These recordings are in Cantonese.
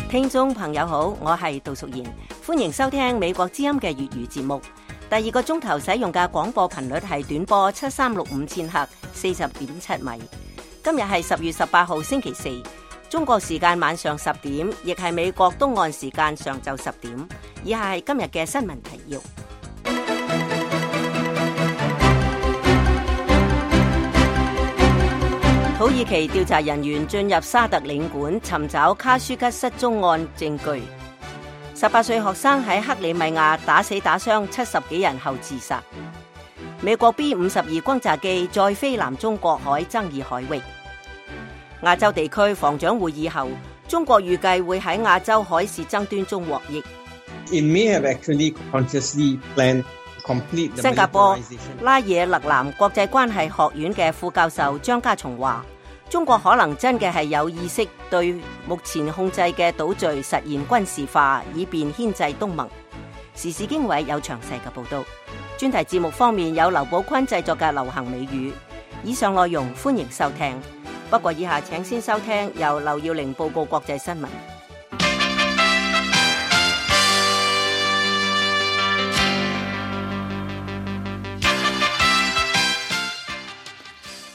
聽眾朋友好，我係杜淑賢，歡迎收聽美國之音嘅粵語節目。第二個鐘頭使用嘅廣播頻率係短波7365千赫40.7米。今日係10月18號星期四，中國時間晚上10點，亦係美國東岸時間上晝10點。以下係今日嘅新聞提要。土耳其調查人員進入沙特領館尋找卡舒吉失蹤案證據。18歲學生喺克里米亞打死打傷70幾人後自殺。美國 B-52 轟炸機再飛南中國海爭議海域。亞洲地區防長會議後，中國預計會喺亞洲海事爭端中獲益。新加坡拉惹勒南國際關係學院嘅副教授張家松話，中國可能真嘅係有意識對目前控制嘅島嶼實現軍事化，以便牽制東盟。時事經緯有詳細嘅報道。專題節目方面有劉寶坤製作嘅流行美語。以上內容歡迎收聽，不過以下請先收聽由劉耀玲報告國際新聞。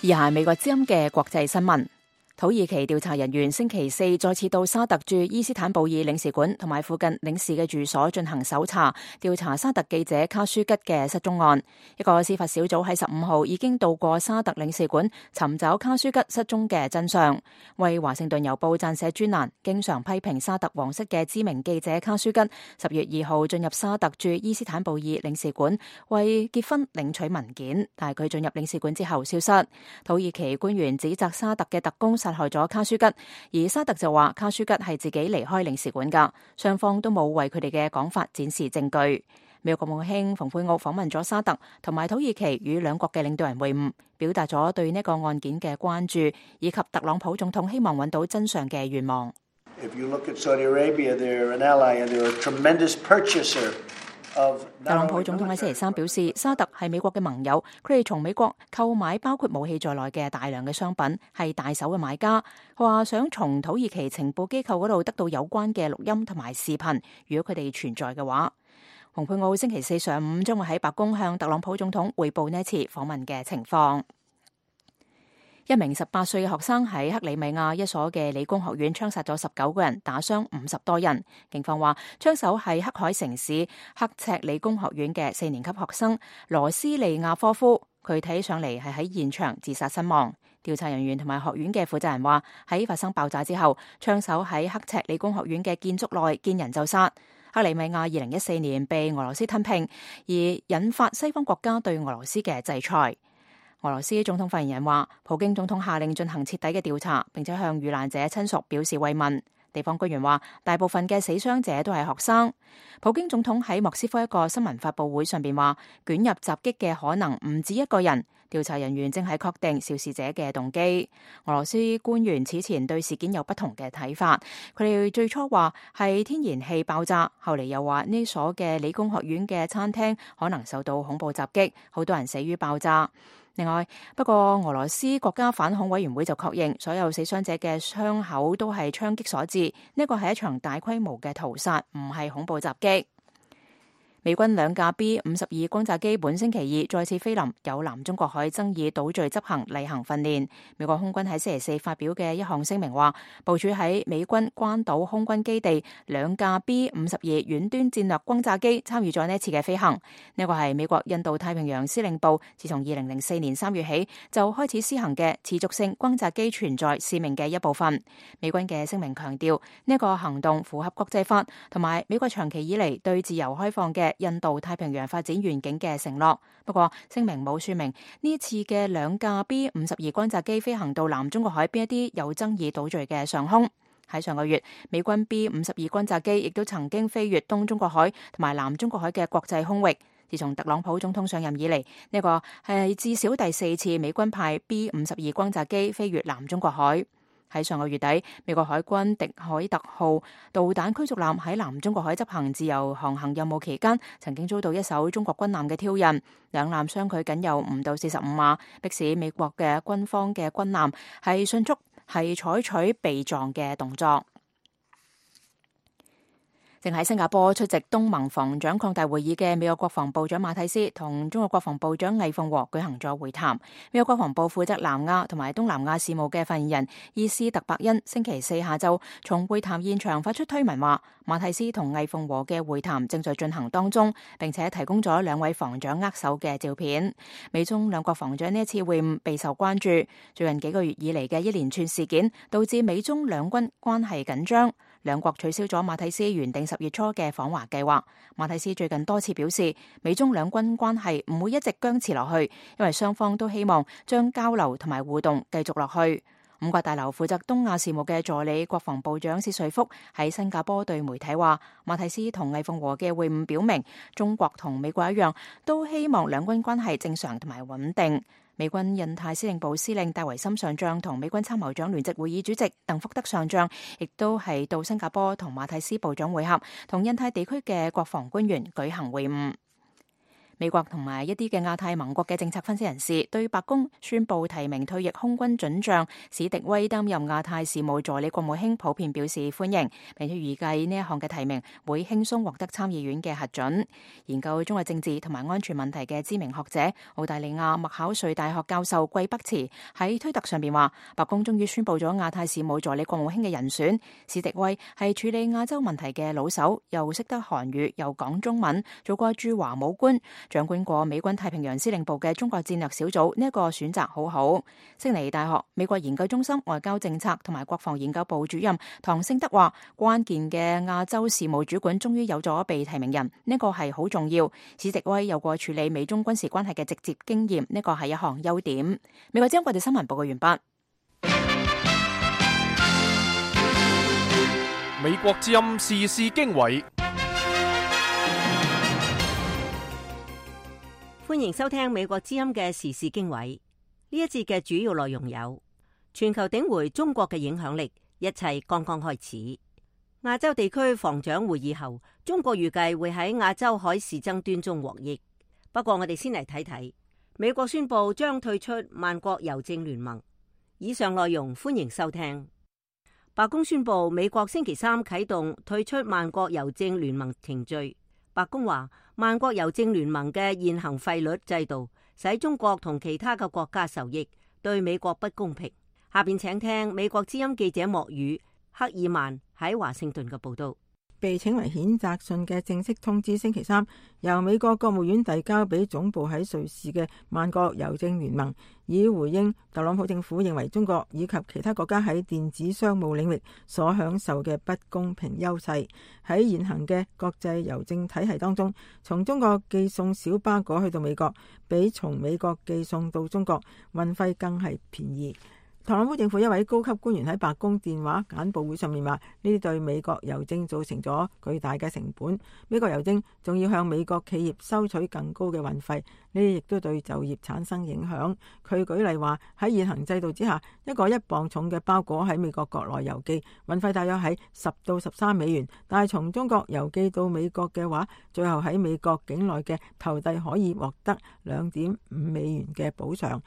以下係美國之音嘅國際新聞。土耳其調查人員星期四再次到沙特駐伊斯坦布爾領事館同埋附近領事嘅住所進行搜查，調查沙特記者卡舒吉嘅失蹤案。一個司法小組喺15號已經到過沙特領事館尋找卡舒吉失蹤嘅真相。為華盛頓郵報撰寫專欄，經常批評沙特皇室嘅知名記者卡舒吉10月2號進入沙特駐伊斯坦布爾領事館為結婚領取文件，但係佢進入領事館之後消失。土耳其官員指責沙特嘅特工殺害咗卡舒吉，而沙特就話卡舒吉係自己離開領事館噶，雙方都冇為佢哋嘅講法展示證據。美國國務卿蓬佩奧訪問咗沙特同埋土耳其，與兩國嘅領導人會晤，表達咗對呢個案件嘅關注，以及特朗普總統希望揾到真相嘅願望。If you look at Saudi Arabia, they're an ally and they're a tremendous purchaser.特朗普總統喺星期三表示，沙特係美國嘅盟友，佢哋從美國購買包括武器在內嘅大量嘅商品，係大手嘅買家。佢話想從土耳其情報機構嗰度得到有關嘅錄音同埋視頻，如果佢哋存在嘅話。蓬佩奧星期四上午將會喺白宮向特朗普總統匯報呢次訪問嘅情況。一名18歲嘅學生喺克里米亞一所嘅理工學院槍殺咗19個人，打傷50多人。警方話，槍手係黑海城市刻赤理工學院嘅4年級學生羅斯利亞科夫，佢睇起上嚟係喺現場自殺身亡。調查人員同埋學院嘅負責人話，喺發生爆炸之後，槍手喺刻赤理工學院嘅建築內見人就殺。克里米亞2014年被俄羅斯吞併，而引發西方國家對俄羅斯嘅制裁。俄羅斯總統發言人話，普京總統下令進行徹底嘅調查，並且向遇難者親屬表示慰問。地方官員話，大部分嘅死傷者都係學生。普京總統喺莫斯科一個新聞發佈會上邊話，捲入襲擊嘅可能唔止一個人，調查人員正係確定肇事者嘅動機。俄羅斯官員此前對事件有不同嘅睇法，佢哋最初話係天然氣爆炸，後嚟又話呢所嘅理工學院嘅餐廳可能受到恐怖襲擊，好多人死於爆炸。另外，不過俄羅斯國家反恐委員會就確認，所有死傷者嘅傷口都係槍擊所致，呢個係一場大規模嘅屠殺，唔係恐怖襲擊。美軍2架 B-52 轟炸機本星期二再次飛臨有南中國海爭議島嶼執行例行訓練。美國空軍喺星期四發表嘅一項聲明話，部署喺美軍關島空軍基地2架 B-52 遠端戰略轟炸機參與咗呢次嘅飛行。呢個係美國印度太平洋司令部自從2004年3月起就開始施行嘅持續性轟炸機存在使命嘅一部分。美軍嘅聲明強調，呢個行動符合國際法同埋美國長期以嚟對自由開放嘅印度太平洋發展願景嘅承諾。不過聲明冇說明呢次嘅2架 B-52 轟炸機飛行到南中國海邊一啲有爭議島嶼嘅上空。喺上個月，美軍 B-52 轟炸機亦都曾經飛越東中國海同埋南中國海嘅國際空域。自從特朗普總統上任以嚟，呢個係至少第4次美軍派 B-52 轟炸機飛越南中國海。喺上個月底，美國海軍迪海特號導彈驅逐艦喺南中國海執行自由航行任務期間，曾經遭到一艘中國軍艦嘅挑釁，兩艦相距僅有唔到45碼，迫使美國嘅軍方嘅軍艦係迅速採取避撞嘅動作。正喺新加坡出席東盟防長擴大會議嘅美國國防部長馬蒂斯同中國國防部長魏鳳和舉行咗會談。美國國防部負責南亞同埋東南亞事務嘅發言人伊斯特伯恩星期四下晝從會談現場發出推文話，馬蒂斯同魏鳳和嘅會談正在進行當中，並且提供咗兩位防長握手嘅照片。美中兩國防長呢一次會晤備受關注，最近幾個月以嚟嘅一連串事件導致美中兩軍關係緊張。兩國取消咗馬蒂斯原定10月初嘅訪華計劃。馬蒂斯最近多次表示，美中兩軍關係唔會一直僵持落去，因為雙方都希望將交流同埋互動繼續落去。五角大樓負責東亞事務嘅助理國防部長薛瑞福喺新加坡對媒體話，馬蒂斯同魏鳳和嘅會晤表明，中國同美國一樣，都希望兩軍關係正常同埋穩定。美軍印太司令部司令戴維森上將同美軍參謀長聯席會議主席鄧福德上將，亦都係到新加坡同馬蒂斯部長會合，同印太地區嘅國防官員舉行會晤。美國同埋一啲嘅亞太盟國嘅政策分析人士對白宮宣布提名退役空軍准將史迪威擔任亞太事務助理國務卿普遍表示歡迎，並且預計呢一項嘅提名會輕鬆獲得參議院嘅核准。研究中國政治同埋安全問題嘅知名學者澳大利亞麥考瑞大學教授季北池喺推特上邊話，白宮終於宣布咗亞太事務助理國務卿嘅人選，史迪威係處理亞洲問題嘅老手，又識得韓語又講中文，做過駐華武官，掌管過美軍太平洋司令部嘅中國戰略小組，呢一個選擇好好。悉尼大學美國研究中心外交政策同埋國防研究部主任唐勝德話，關鍵嘅亞洲事務主管終於有咗被提名人，呢個係好重要。史迪威有過處理美中軍事關係嘅直接經驗，呢個係一項優點。美國之音國際新聞報告完畢。美國之音時事經緯。歡迎收聽美國之音嘅時事經緯。呢一節嘅主要內容有：全球頂回中國嘅影響力，一切剛剛開始。亞洲地區防長會議後，中國預計會喺亞洲海事爭端中獲益。不過我哋先嚟睇睇，美國宣布將退出萬國郵政聯盟。以上內容歡迎收聽。白宮宣布美國星期三啟動退出萬國郵政聯盟程序。白宮話，萬國郵政聯盟嘅現行費率制度使中國同其他嘅國家受益，對美國不公平。下邊請聽美國之音記者莫語克爾曼喺華盛頓嘅報道。被稱為譴責信嘅正式通知星期三由美國國務院遞交俾總部喺瑞士嘅萬國郵政聯盟，以回應特朗普政府認為中國以及其他國家喺電子商務領域所享受嘅不公平優勢。喺現行嘅國際郵政體系當中，從中國寄送小巴果去到美國，比從美國寄送到中國運費更係便宜。特朗普政府一位高級官員喺白宮電話簡報會上面話，呢啲對美國郵政造成咗巨大嘅成本，美國郵政仲要向美國企業收取更高嘅運費，呢啲亦都對就業產生影響。佢舉例話，喺現行制度之下，一個1磅重嘅包裹喺美國國內郵寄，運費大約喺10到13美元，但係從中國郵寄到美國嘅話，最後喺美國境內嘅投遞可以獲得2.5美元嘅補償。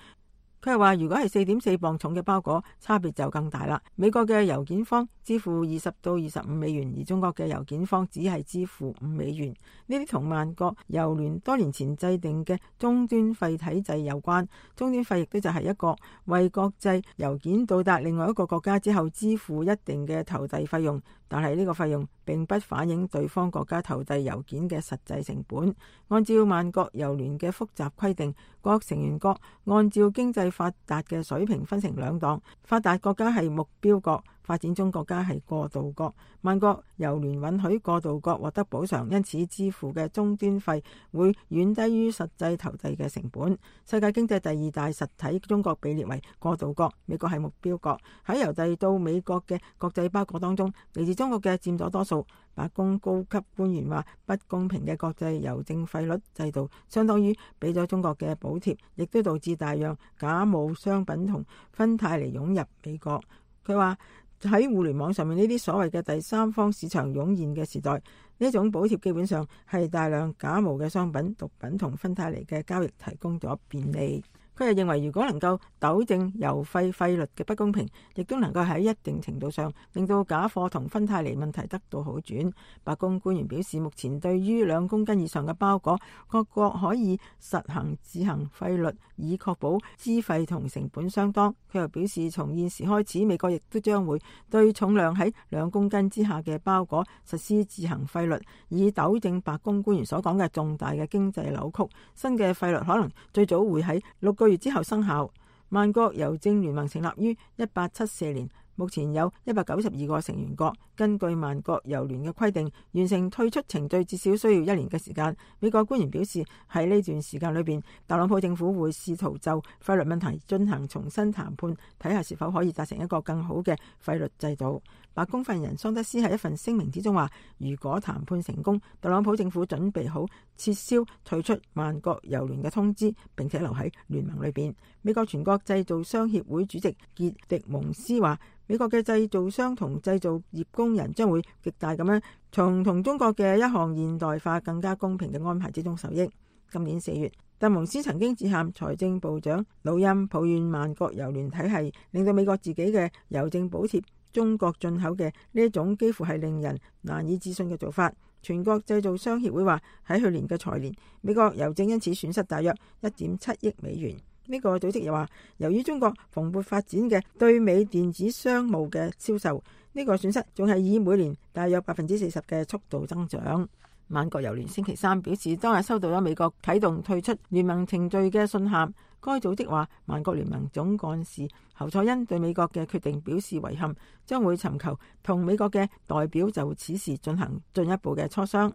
佢係話，如果係4.4磅重嘅包裹，差別就更大啦。美國嘅郵件方支付20到25美元，而中國嘅郵件方只係支付5美元。呢啲同萬國郵聯多年前制定嘅終端費體制有關。終端費亦都就係一個為國際郵件到達另外一個國家之後支付一定嘅投遞費用，但係呢個費用並不反映對方國家投遞郵件嘅實際成本。按照萬國郵聯嘅複雜規定，各成員國按照經濟發達嘅水平分成2檔，發達國家係目標國，發展中國家係過渡國。萬國郵聯允許過渡國獲得補償，因此支付嘅終端費會遠低於實際投遞嘅成本。世界經濟第2大實體中國被列為過渡國，美國係目標國。喺郵遞到美國嘅國際包裹當中，嚟自中國嘅佔咗多數。白宮高級官員話，不公平嘅國際郵政費率制度相當於俾咗中國嘅補貼，亦都導致大量假冒商品同芬太尼湧入美國。佢話喺互聯網上面呢啲所謂嘅第三方市場湧現嘅時代，呢種補貼基本上係大量假冒嘅商品、毒品同芬太尼嘅交易提供咗便利。佢又認為，如果能夠糾正油費率嘅不公平，亦都能夠喺一定程度上令到假貨同芬太尼問題得到好轉。白宮官員表示，目前對於2公斤以上嘅包裹，各國可以實行自行費率，以確保資費同成本相當。佢又表示，從現時開始，美國亦都將會對重量喺2公斤之下嘅包裹實施自行費率，以糾正白宮官員所講嘅重大嘅經濟扭曲。新嘅費率可能最早會喺6個月之後生效。萬國郵政聯盟成立於1874年，目前有192個成員國。根據萬國郵聯嘅規定，完成退出程序至少需要1年嘅時間。美國官員表示，喺呢段時間裏邊，特朗普政府會試圖就費率問題進行重新談判，睇下是否可以達成一個更好嘅費率制度。白宮發言人桑德斯喺一份聲明之中話，如果談判成功，特朗普政府準備好撤銷退出萬國郵聯嘅通知，並且留喺聯盟裏邊。美國全國製造商協會主席傑迪蒙斯話，美國嘅製造商同製造業工人將會極大咁樣從同中國嘅一項現代化更加公平嘅安排之中受益。今年4月，特蒙斯曾經致函財政部長魯欽，抱怨萬國郵聯體系令到美國自己嘅郵政補貼中國進口嘅呢一種幾乎係令人難以置信嘅做法。全國製造商協會話，喺去年嘅財年，美國郵政因此損失大約1.7億美元。呢個組織又話，由於中國蓬勃發展嘅對美電子商務嘅銷售，呢個損失仲係以每年大約40%嘅速度增長。萬國郵聯星期三表示，當日收到咗美國啟動退出聯盟程序嘅信函。該組織話，萬國聯盟總幹事侯賽因對美國嘅決定表示遺憾，將會尋求同美國嘅代表就此事進行進一步嘅磋商。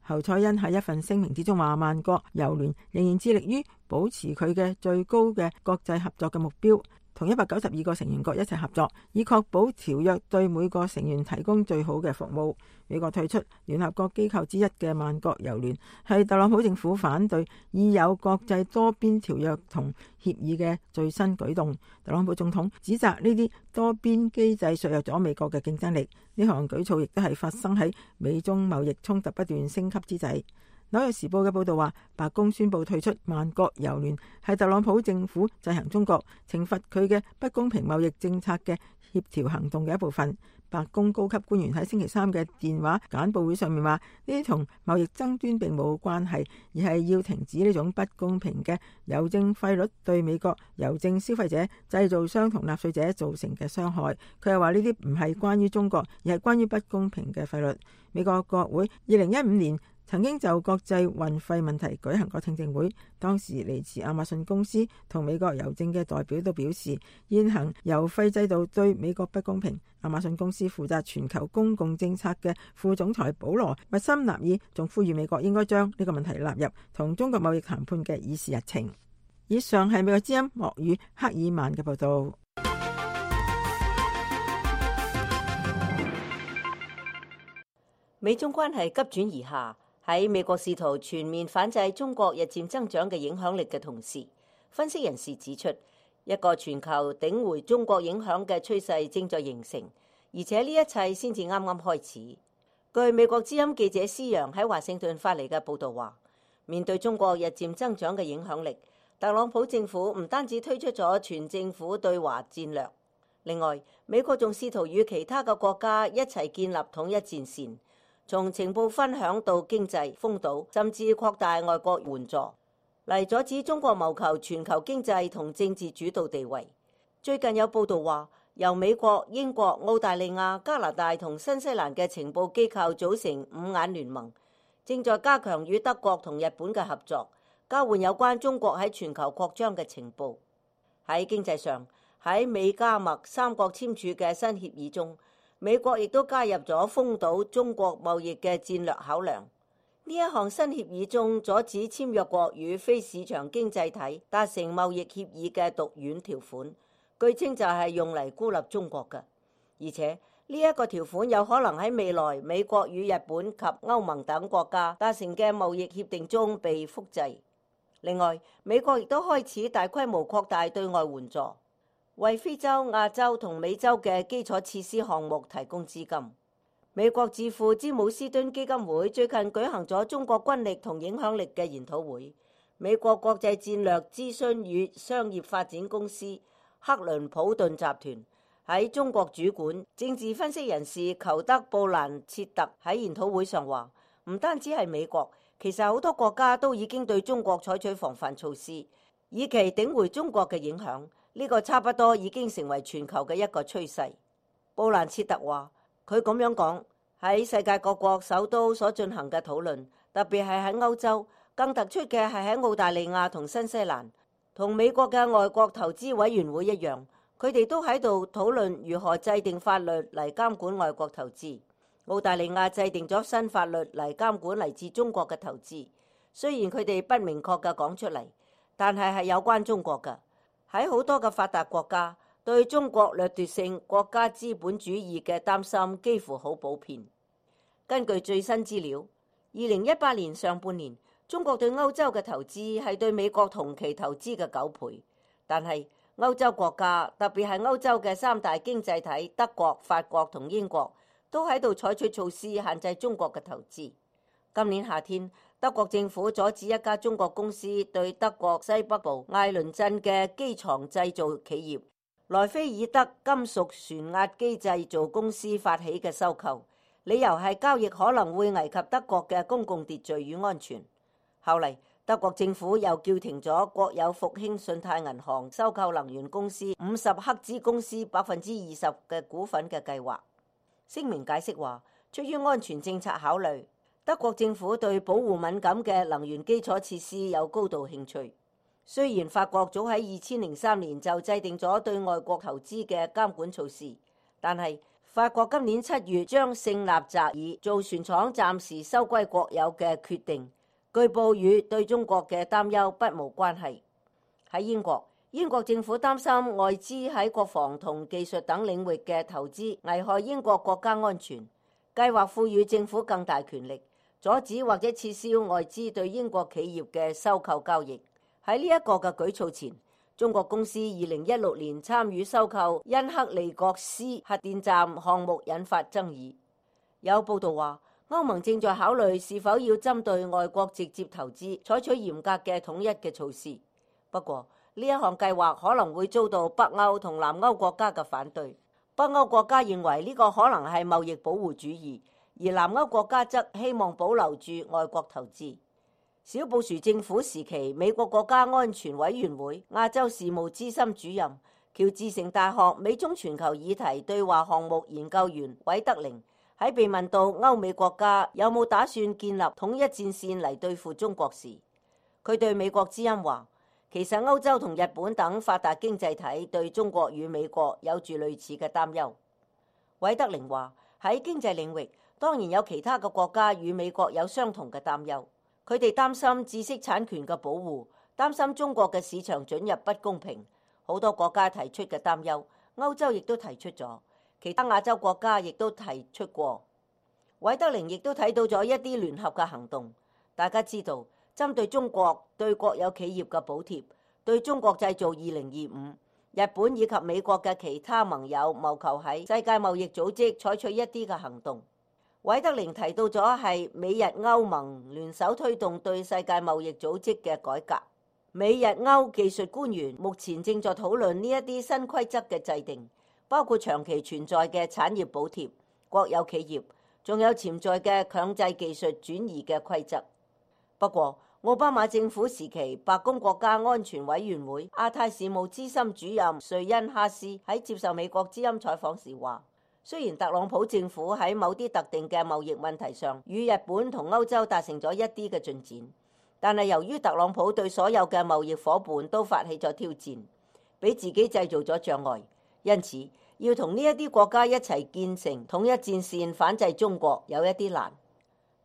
侯賽因喺一份聲明之中話，萬國郵聯仍然致力於保持佢嘅最高嘅國際合作嘅目標，同192個成員國一齊合作，以確保條約對每個成員提供最好嘅服務。美國退出聯合國機構之一嘅萬國郵聯係特朗普政府反對已有國際多邊條約同協議嘅最新舉動。特朗普總統指責呢啲多邊機制削弱咗美國嘅競爭力。呢項舉措亦都係發生喺美中貿易衝突不斷升級之際。紐約時報嘅報道話，白宮宣布退出萬國郵聯係特朗普政府制衡中國、懲罰佢嘅不公平貿易政策嘅協調行動嘅一部分。白宮高級官員喺星期三嘅電話簡報會上面話，呢啲同貿易爭端並冇關係，而係要停止呢種不公平嘅郵政費率對美國郵政消費者、製造商同納稅者造成嘅傷害。佢又話呢啲唔係關於中國，而係關於不公平嘅費率。美國國會2015年曾經就國際運費問題舉行過聽證會，當時嚟自亞馬遜公司同美國郵政嘅代表都表示，現行郵費制度對美國不公平。亞馬遜公司負責全球公共政策嘅副總裁保羅密森納爾仲呼籲美國應該將呢個問題納入同中國貿易談判嘅議事日程。以上係美國之音莫語克爾曼嘅報道。美中關係急轉而下。喺美國試圖全面反制中國日漸增長嘅影響力嘅同時，分析人士指出，一個全球頂回中國影響嘅趨勢正在形成，而且呢一切先至啱啱開始。據美國之音記者施洋喺華盛頓發嚟嘅報導話，面對中國日漸增長嘅影響力，特朗普政府唔單止推出咗全政府對華戰略，另外美國仲試圖與其他嘅國家一齊建立統一戰線。從情報分享到經濟封堵，甚至擴大外國援助，嚟阻止中國謀求全球經濟同政治主導地位。最近有報道話，由美國、英國、澳大利亞、加拿大同新西蘭嘅情報機構組成五眼聯盟，正在加強與德國同日本嘅合作，交換有關中國喺全球擴張嘅情報。喺經濟上，喺美加墨三國簽署嘅新協議中，美國亦都加入咗封堵中國貿易嘅戰略考量。呢一項新協議中阻止簽約國與非市場經濟體達成貿易協議嘅毒丸條款，據稱就係用嚟孤立中國嘅。而且呢一個條款有可能喺未來美國與日本及歐盟等國家達成嘅貿易協定中被複製。另外，美國亦都開始大規模擴大對外援助，為非洲、亞洲同美洲嘅基礎設施項目提供資金。美國智庫詹姆斯敦基金會最近舉行咗中國軍力同影響力嘅研討會。美國國際戰略諮詢與商業發展公司克倫普頓集團喺中國主管政治分析人士裘德布蘭切特喺研討會上話，唔單止係美國，其實好多國家都已經對中國採取防範措施，以期頂回中國嘅影響。呢個差不多已經成為全球嘅一個趨勢。布蘭切特話，佢咁樣講，喺世界各國首都所進行嘅討論，特別係喺歐洲，更突出嘅係喺澳大利亞同新西蘭，同美國嘅外國投資委員會一樣，佢哋都喺度討論如何制定法律嚟監管外國投資。澳大利亞制定咗新法律嚟監管嚟自中國嘅投資，雖然佢哋不明確嘅講出嚟，但係有關中國嘅。喺好多嘅發達國家，對中國掠奪性國家資本主義嘅擔心幾乎好普遍。根據最新資料，2018年上半年，中國對歐洲嘅投資係對美國同期投資嘅9倍，但係歐洲國家，特別係歐洲嘅三大經濟體德國、法國同英國，都喺度採取措施限制中國嘅投資。今年夏天，德國政府阻止一家中國公司對德國西北部艾倫鎮嘅機床製造企業萊菲爾德金屬旋壓機製造公司發起嘅收購，理由係交易可能會危及德國嘅公共秩序與安全。後嚟，德國政府又叫停咗國有復興信貸銀行收購能源公司50赫茲公司20%嘅股份嘅計劃。聲明解釋話，出於安全政策考慮，德國政府對保護敏感嘅能源基礎設施有高度興趣。雖然法國早喺2003年就制定咗對外國投資嘅監管措施，但係法國今年7月將聖納扎爾造船廠暫時收歸國有嘅決定，據報與對中國嘅擔憂不無關係。喺英國政府擔心外資喺國防同技術等領域嘅投資危害英國國家安全，計劃賦予政府更大權力，阻止或者撤銷外資對英國企業嘅收購交易。喺呢一個嘅舉措前，中國公司2016年參與收購恩克利國斯核電站項目引發爭議。有報道話，歐盟正在考慮是否要針對外國直接投資採取嚴格嘅統一嘅措施。不過呢一項計劃可能會遭到北歐同南歐國家嘅反對。北歐國家認為呢個可能係貿易保護主義，而南歐國家則希望保留住外國投資。小布殊政府時期，美國國家安全委員會亞洲事務資深主任、喬治城大學美中全球議題對話項目研究員韋德寧喺被問到歐美國家有冇打算建立統一戰線嚟對付中國時，佢對美國之音話，其實歐洲同日本等發達經濟體對中國與美國有住類似嘅擔憂。韋德寧話，喺經濟領域，當然有其他嘅國家與美國有相同嘅擔憂。佢哋擔心知識產權嘅保護，擔心中國嘅市場准入不公平。好多國家提出嘅擔憂，歐洲亦都提出咗，其他亞洲國家亦都提出過。韋德寧亦都睇到咗一啲聯合嘅行動。大家知道，針對中國對國有企業嘅補貼，對中國製造2025，日本以及美國嘅其他盟友謀求喺世界貿易組織採取一啲嘅行動。韋德寧提到咗係美日歐盟聯手推動對世界貿易組織嘅改革。美日歐技術官員目前正在討論呢一啲新規則嘅制定，包括長期存在嘅產業補貼、國有企業，仲有潛在嘅強制技術轉移嘅規則。不過，奧巴馬政府時期白宮國家安全委員會亞太事務資深主任瑞恩哈斯喺接受美國之音採訪時話，雖然特朗普政府喺某啲特定嘅貿易問題上與日本同歐洲達成咗一啲嘅進展，但係由於特朗普對所有嘅貿易夥伴都發起咗挑戰，俾自己製造咗障礙，因此要同呢一啲國家一齊建成統一戰線反制中國有一啲難。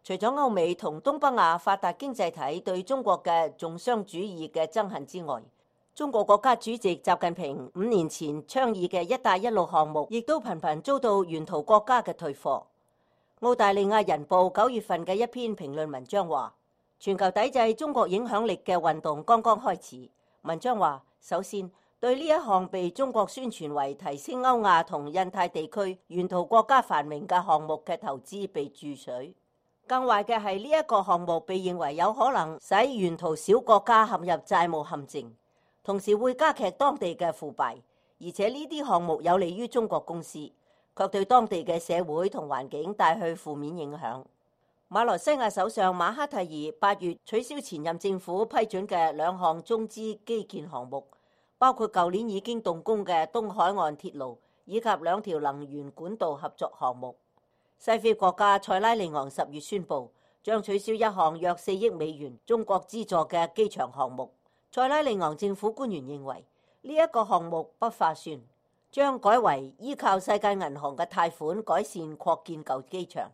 除咗歐美同東北亞發達經濟體對中國嘅重商主義嘅憎恨之外，中國國家主席習近平5年前倡議嘅一帶一路項目，亦都頻頻遭到沿途國家嘅退貨。澳大利亞人報9月份嘅一篇評論文章話，全球抵制中國影響力嘅運動剛剛開始。文章話，首先對呢一項被中國宣傳為提升歐亞同印太地區沿途國家繁榮嘅項目嘅投資被注水。更壞嘅係呢一個項目被認為有可能使沿途小國家陷入債務陷阱，同時會加劇當地嘅腐敗，而且呢啲項目有利於中國公司，卻對當地嘅社會同環境帶去負面影響。馬來西亞首相馬哈蒂爾8月取消前任政府批准嘅2項中資基建項目，包括舊年已經動工嘅東海岸鐵路以及2條能源管道合作項目。西非國家塞拉利昂10月宣布將取消一項約4億美元中國資助嘅機場項目。塞拉利昂政府官員認為呢一個項目不划算，將改為依靠世界銀行嘅貸款改善擴建舊機場。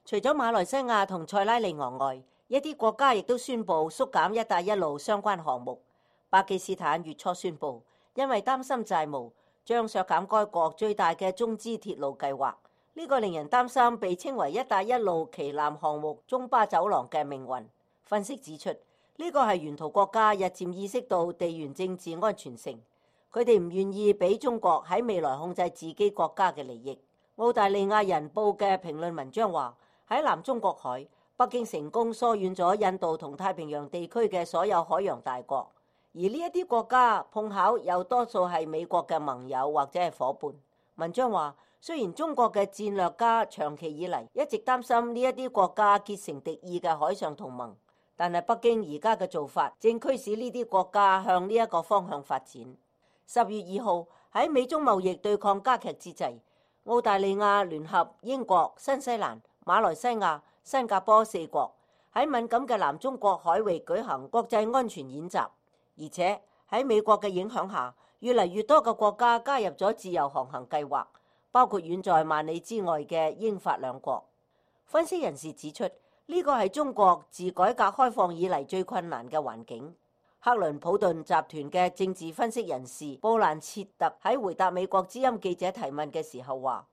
除咗馬來西亞同塞拉利昂外，一啲國家亦都宣布縮減一帶一路相關項目。巴基斯坦月初宣布，因為擔心債務，將削減該國最大嘅中資鐵路計劃。呢個令人擔心被稱為一帶一路旗艦項目中巴走廊嘅命運。分析指出，呢個係沿途國家日漸意識到地緣政治安全性，佢哋唔願意俾中國喺未來控制自己國家嘅利益。澳大利亞人報嘅評論文章話，喺南中國海，北京成功疏遠咗印度同太平洋地區嘅所有海洋大國，而呢一啲國家碰巧又多數係美國嘅盟友或者係夥伴。文章話，雖然中國嘅戰略家長期以嚟一直擔心呢一啲國家結成敵意嘅海上同盟，但係北京而家嘅做法正驅使呢啲國家向呢一個方向發展。10月2號喺美中貿易對抗加劇之際，澳大利亞聯合英國、新西蘭、馬來西亞、新加坡4國喺敏感嘅南中國海域舉行國際安全演習，而且喺美國嘅影響下，越嚟越多嘅國家加入咗自由航行計劃，包括遠在萬里之外嘅英法2國。分析人士指出，呢個係中國自改革開放以嚟最困難嘅環境。克倫普頓集團嘅政治分析人士布蘭切特喺回答美國之音記者提問嘅時候話，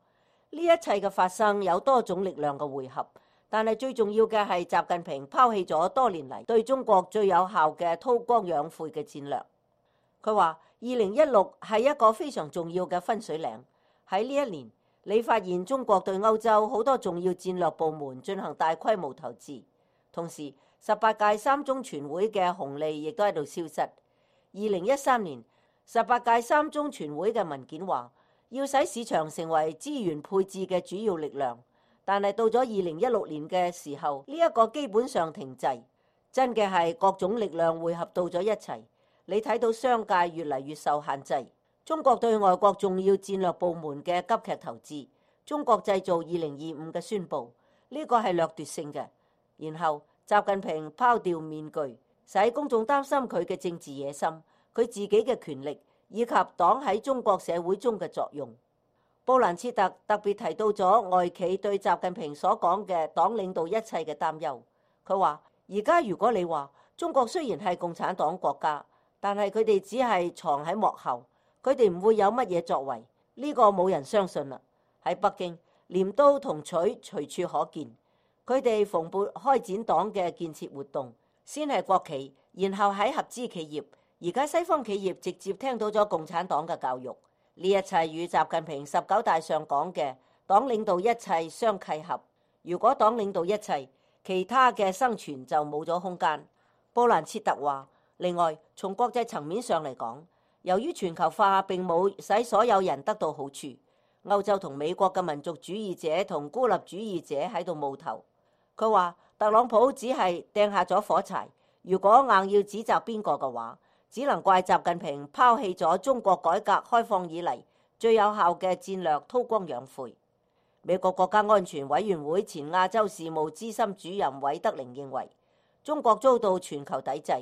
呢一切嘅發生有多種力量嘅匯合，但係最重要嘅係習近平拋棄咗多年嚟對中國最有效嘅韜光養晦嘅戰略。佢話2016係一個非常重要嘅分水嶺，喺呢一年你發現中國對歐洲好多重要戰略部門進行大規模投資，同時18屆三中全會嘅紅利亦都喺度消失。2013年18屆三中全會嘅文件話，要使市場成為資源配置嘅主要力量，但係到咗2016年嘅時候，呢一個基本上停滯。真嘅係各種力量匯合到咗一齊，你睇到商界越嚟越受限制。中國對外國重要戰略部門嘅急劇投資，中國製造2025嘅宣布，呢個係掠奪性嘅。然後習近平拋掉面具，使公眾擔心佢嘅政治野心，佢自己嘅權力，以及黨喺中國社會中嘅作用。布蘭切特特別提到咗外企對習近平所講嘅黨領導一切嘅擔憂。佢話，而家如果你話中國雖然係共產黨國家，但係佢哋只係藏喺幕後，佢哋唔會有乜嘢作為，呢個冇人相信啦。喺北京，鐮刀同錘隨處可見，佢哋蓬勃開展黨嘅建設活動，先係國企，然後喺合資企業，而家西方企業直接聽到咗共產黨嘅教育，呢一切與習近平19大上講嘅黨領導一切相契合。如果黨領導一切，其他嘅生存就冇咗空間。布蘭切特話，另外從國際層面上嚟講，由於全球化並冇使所有人得到好處，歐洲同美國嘅民族主義者同孤立主義者喺度冒頭。佢話特朗普只係掟下咗火柴，如果硬要指責邊個嘅話，只能怪習近平拋棄咗中國改革開放以嚟最有效嘅戰略韜光養晦。美國國家安全委員會前亞洲事務資深主任韋德寧認為，中國遭到全球抵制，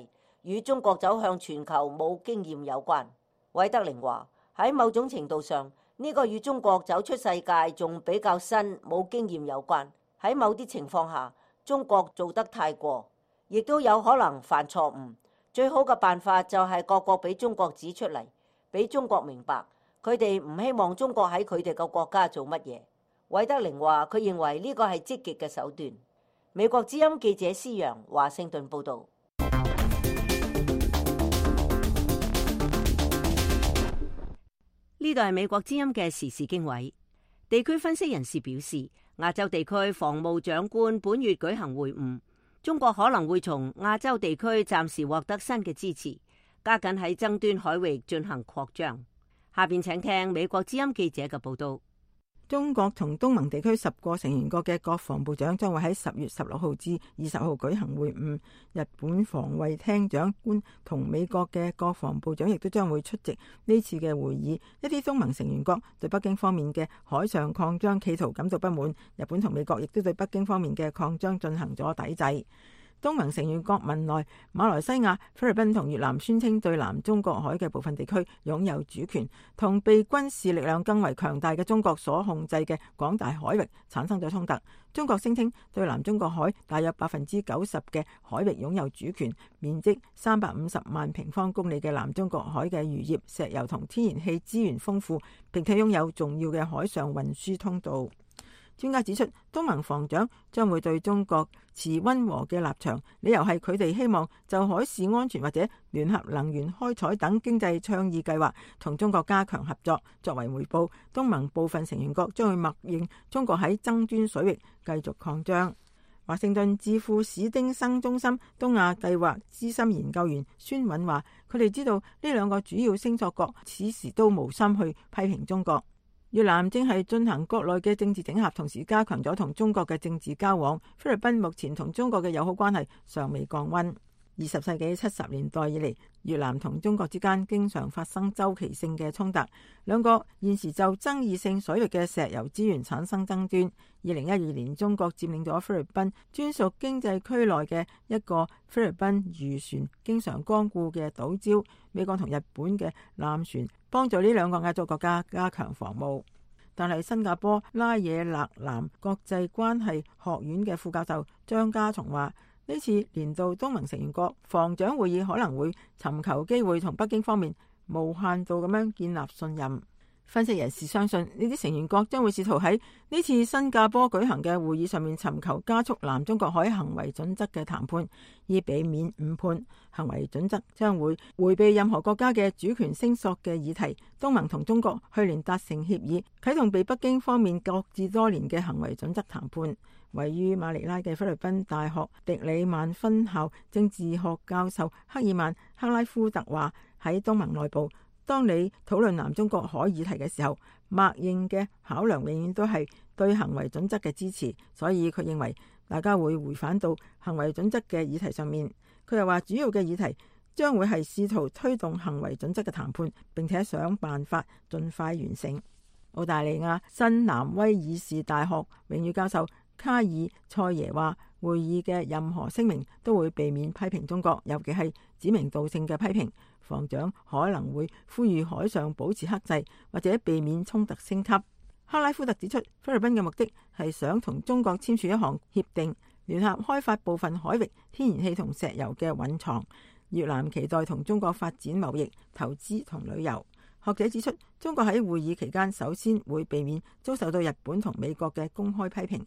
與中國走向全球冇經驗有關。韋德寧話，喺某種程度上，呢個與中國走出世界仲比較新冇經驗有關。喺某啲情況下，中國做得太過，亦都有可能犯錯誤。最好嘅辦法就係各國俾中國指出嚟，俾中國明白，佢哋唔希望中國喺佢哋嘅國家做乜嘢。韋德寧話，佢認為呢個係積極嘅手段。美國之音記者施陽華盛頓報導。呢度係美國之音嘅時事經緯。地區分析人士表示，亞洲地區防務長官本月舉行會晤，中國可能會從亞洲地區暫時獲得新嘅支持，加緊喺爭端海域進行擴張。下邊請聽美國之音記者嘅報道。中國同東盟地區10個成員國嘅國防部長將會喺10月16號至20號舉行會晤。日本防衛廳長官同美國嘅國防部長亦都將會出席呢次嘅會議。一啲東盟成員國對北京方面嘅海上擴張企圖感到不滿，日本同美國亦都對北京方面嘅擴張進行咗抵制。東盟成員國文萊、馬來西亞、菲律賓同越南宣稱對南中國海嘅部分地區擁有主權，同被軍事力量更為強大嘅中國所控制嘅廣大海域產生咗衝突。中國聲稱對南中國海大約90%嘅海域擁有主權，面積350萬平方公里嘅南中國海嘅漁業、石油同天然氣資源豐富，並且擁有重要嘅海上運輸通道。專家指出，東盟防長將會對中國持溫和嘅立場，理由係佢哋希望就海事安全或者聯合能源開採等經濟倡議計劃同中國加強合作。作為回報，東盟部分成員國將會默認中國喺爭端水域繼續擴張。華盛頓智庫史丁生中心東亞計劃資深研究員孫韻話，佢哋知道呢兩個主要星座國此時都無心去批評中國。越南正係進行國內嘅政治整合，同時加強咗同中國嘅政治交往。菲律賓目前同中國嘅友好關係尚未降溫。20世紀70年代以嚟，越南同中國之間經常發生周期性嘅衝突，兩國現時就爭議性水域嘅石油資源產生爭端。2012年，中國佔領咗菲律賓專屬經濟區內嘅一個菲律賓漁船經常光顧嘅島礁，美國同日本嘅艦船幫助呢兩個亞洲國家加強防務。但係新加坡拉惹勒南國際關係學院嘅副教授張家松話，呢次年度東盟成員國防長會議可能會尋求機會同北京方面無限度咁樣建立信任。分析人士相信，呢啲成員國將會試圖喺呢次新加坡舉行嘅會議上面尋求加速南中國海行為準則嘅談判，以避免誤判。行為準則將會迴避任何國家嘅主權聲索嘅議題。東盟同中國去年達成協議，啟動被北京方面擱置多年嘅行為準則談判。位於馬尼拉嘅菲律賓大學迪里曼分校政治學教授克爾曼克拉夫特話，喺東盟內部，當你討論南中國海議題嘅時候，默認嘅考量永遠都係對行為準則嘅支持，所以佢認為大家會回返到行為準則嘅議題上面。佢又話，主要嘅議題將會係試圖推動行為準則嘅談判，並且想辦法盡快完成。澳大利亞新南威爾士大學榮譽教授卡爾塞耶話，會議嘅任何聲明都會避免批評中國，尤其係指名道姓嘅批評。防長可能會呼籲海上保持克制，或者避免衝突升級。克拉夫特指出，菲律賓嘅目的係想同中國簽署一項協定，聯合開發部分海域天然氣同石油嘅蘊藏。越南期待同中國發展貿易、投資同旅遊。學者指出，中國喺會議期間首先會避免遭受到日本同美國嘅公開批評。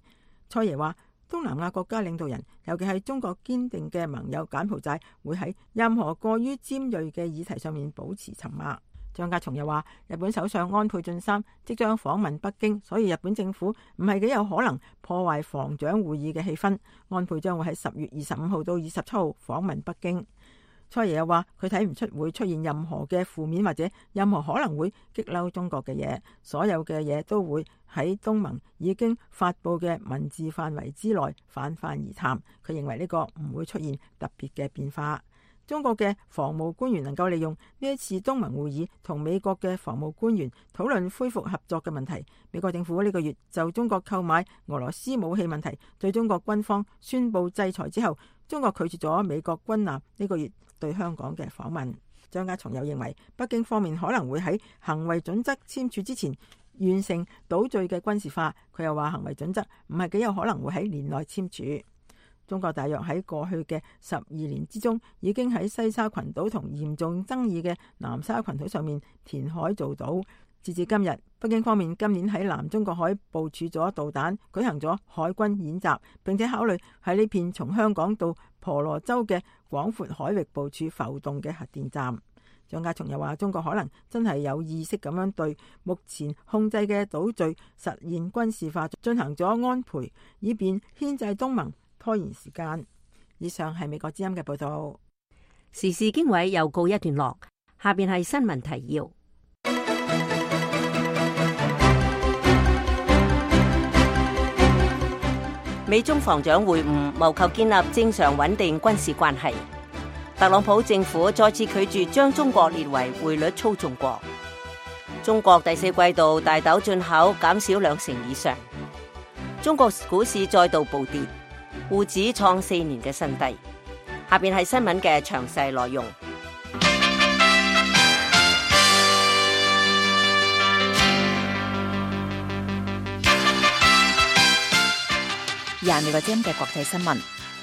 蔡爺話，東南亞國家領導人，尤其係中國堅定嘅盟友柬埔寨，會喺任何過於尖銳嘅議題上面保持沉默。張家松又話，日本首相安倍晉三即將訪問北京，所以日本政府唔係幾有可能破壞防長會議嘅氣氛。安倍將會喺10月25號到27號訪問北京。蔡爺又話，佢睇唔出會出現任何嘅負面或者任何可能會激嬲中國嘅嘢，所有嘅嘢都會喺東盟已經發佈嘅文字範圍之內泛泛而談。佢認為呢個唔會出現特別嘅變化。中國嘅防務官員能夠利用呢一次東盟會議同美國嘅防務官員討論恢復合作嘅問題。美國政府呢個月就中國購買俄羅斯武器問題對中國軍方宣布制裁之後，中國拒絕咗美國軍艦呢個月對香港嘅訪問。張家松又認為，北京方面可能會喺行為準則簽署之前完成島嶼嘅軍事化。佢又話，行為準則唔係幾有可能會喺年內簽署。中國大約喺過去嘅12年之中，已經喺西沙群島同嚴重爭議嘅南沙群島上面填海造島。截至今日，北京方面今年喺南中國海部署咗導彈，舉行咗海軍演習，並且考慮喺呢片從香港到婆羅洲嘅廣闊海域部署浮動嘅核電站。張家松又話，中國可能真係有意識咁樣對目前控制嘅島嶼實現軍事化進行咗安培，以便牽制東盟，拖延時間。以上係美國之音嘅報道。時事經緯又告一段落，下邊係新聞提要。美中防長會晤，謀求建立正常穩定軍事關係。特朗普政府再次拒絕將中國列為匯率操縱國。中國第四季度大豆進口減少2成以上。中國股市再度暴跌，滬指創4年嘅新低。下邊係新聞嘅詳細內容。美國之音嘅國際新聞。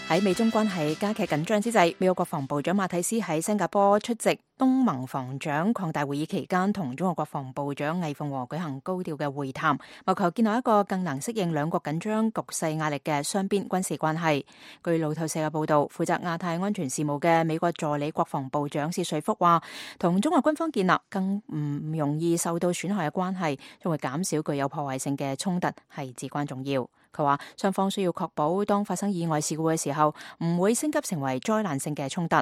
喺美中關係加劇緊張之際，美國國防部長馬蒂斯喺新加坡出席東盟防長擴大會議期間，同中國國防部長魏鳳和舉行高調嘅會談，謀求建立一個更能適應兩國緊張局勢壓力嘅雙邊軍事關係。據路透社嘅報道，負責亞太安全事務嘅美國助理國防部長薛瑞福話，同中國軍方建立更唔容易受到損害嘅關係，將會減少具有破壞性嘅衝突，係至關重要。佢話雙方需要確保當發生意外事故嘅時候，唔會升級成為災難性嘅衝突。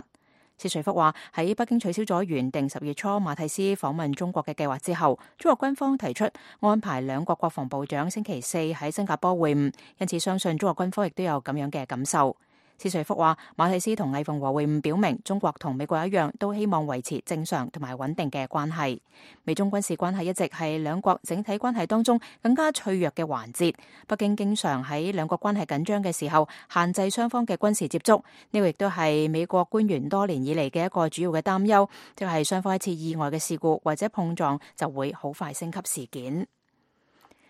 薛瑞福話喺北京取消咗原定10月初馬蒂斯訪問中國嘅計劃之後，中國軍方提出安排兩國國防部長星期四喺新加坡會晤，因此相信中國軍方亦都有咁樣嘅感受。薛瑞福話馬蒂斯同魏鳳和會晤表明，中國同美國一樣都希望維持正常同埋穩定嘅關係。美中軍事關係一直係兩國整體關係當中更加脆弱嘅環節。北京經常喺兩國關係緊張嘅時候限制雙方嘅軍事接觸，呢個亦都係美國官員多年以嚟嘅一個主要嘅擔憂，即係雙方一次意外嘅事故或者碰撞就會好快升級事件。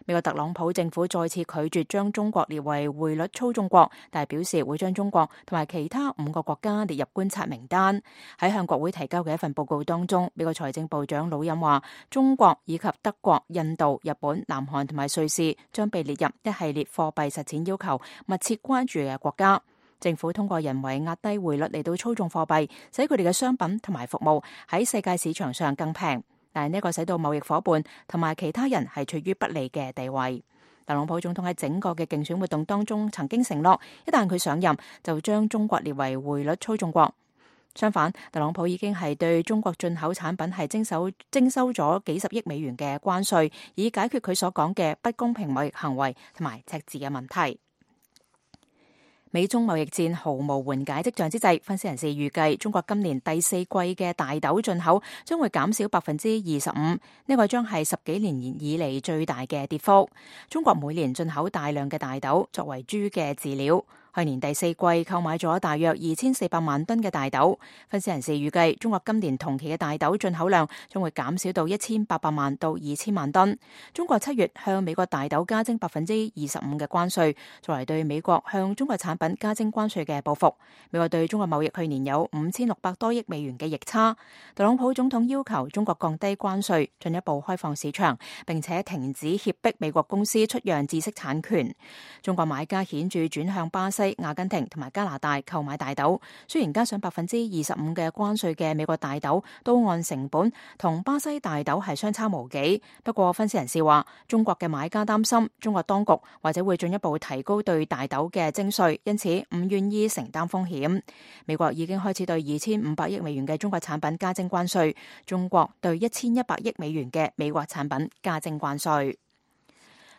美國特朗普政府再次拒絕將中國列為匯率操縱國，但係表示會將中國同埋其他5個國家列入觀察名單。喺向國會提交嘅一份報告當中，美國財政部長魯欽話，中國以及德國、印度、日本、南韓同埋瑞士將被列入一系列貨幣實踐要求密切關注嘅國家。政府通過人為壓低匯率嚟到操縱貨幣，使佢哋嘅商品同埋服務喺世界市場上更平。但係呢個使到貿易夥伴同埋其他人係處於不利嘅地位。特朗普總統喺整個嘅競選活動當中曾經承諾，一旦佢上任就將中國列為匯率操縱國。相反，特朗普已經係對中國進口產品係徵收咗幾十億美元嘅關稅，以解決佢所講嘅不公平貿易行為同埋赤字嘅問題。美中貿易戰毫無緩解跡象之際，分析人士預計中國今年第4季嘅大豆進口將會減少25%，呢個將係10幾年以嚟最大嘅跌幅。中國每年進口大量嘅大豆作為豬嘅飼料。去年第4季購買咗大約2400萬噸嘅大豆，分析人士預計中國今年同期嘅大豆進口量將會減少到1800萬到2000萬噸。中國7月向美國大豆加徵25%嘅關稅，作為對美國向中國產品加徵關稅嘅報復。美國對中國貿易去年有5600多億美元嘅逆差。特朗普總統要求中國降低關稅，進一步開放市場，並且停止脅迫美國公司出讓知識產權。中國買家顯著轉向巴西、阿根廷同埋加拿大購買大豆，雖然加上25%嘅關稅嘅美國大豆都按成本同巴西大豆係相差無幾，不過分析人士話，中國嘅買家擔心中國當局或者會進一步提高對大豆嘅徵稅，因此唔願意承擔風險。美國已經開始對2500億美元嘅中國產品加徵關稅，中國對1100億美元嘅美國產品加徵關稅。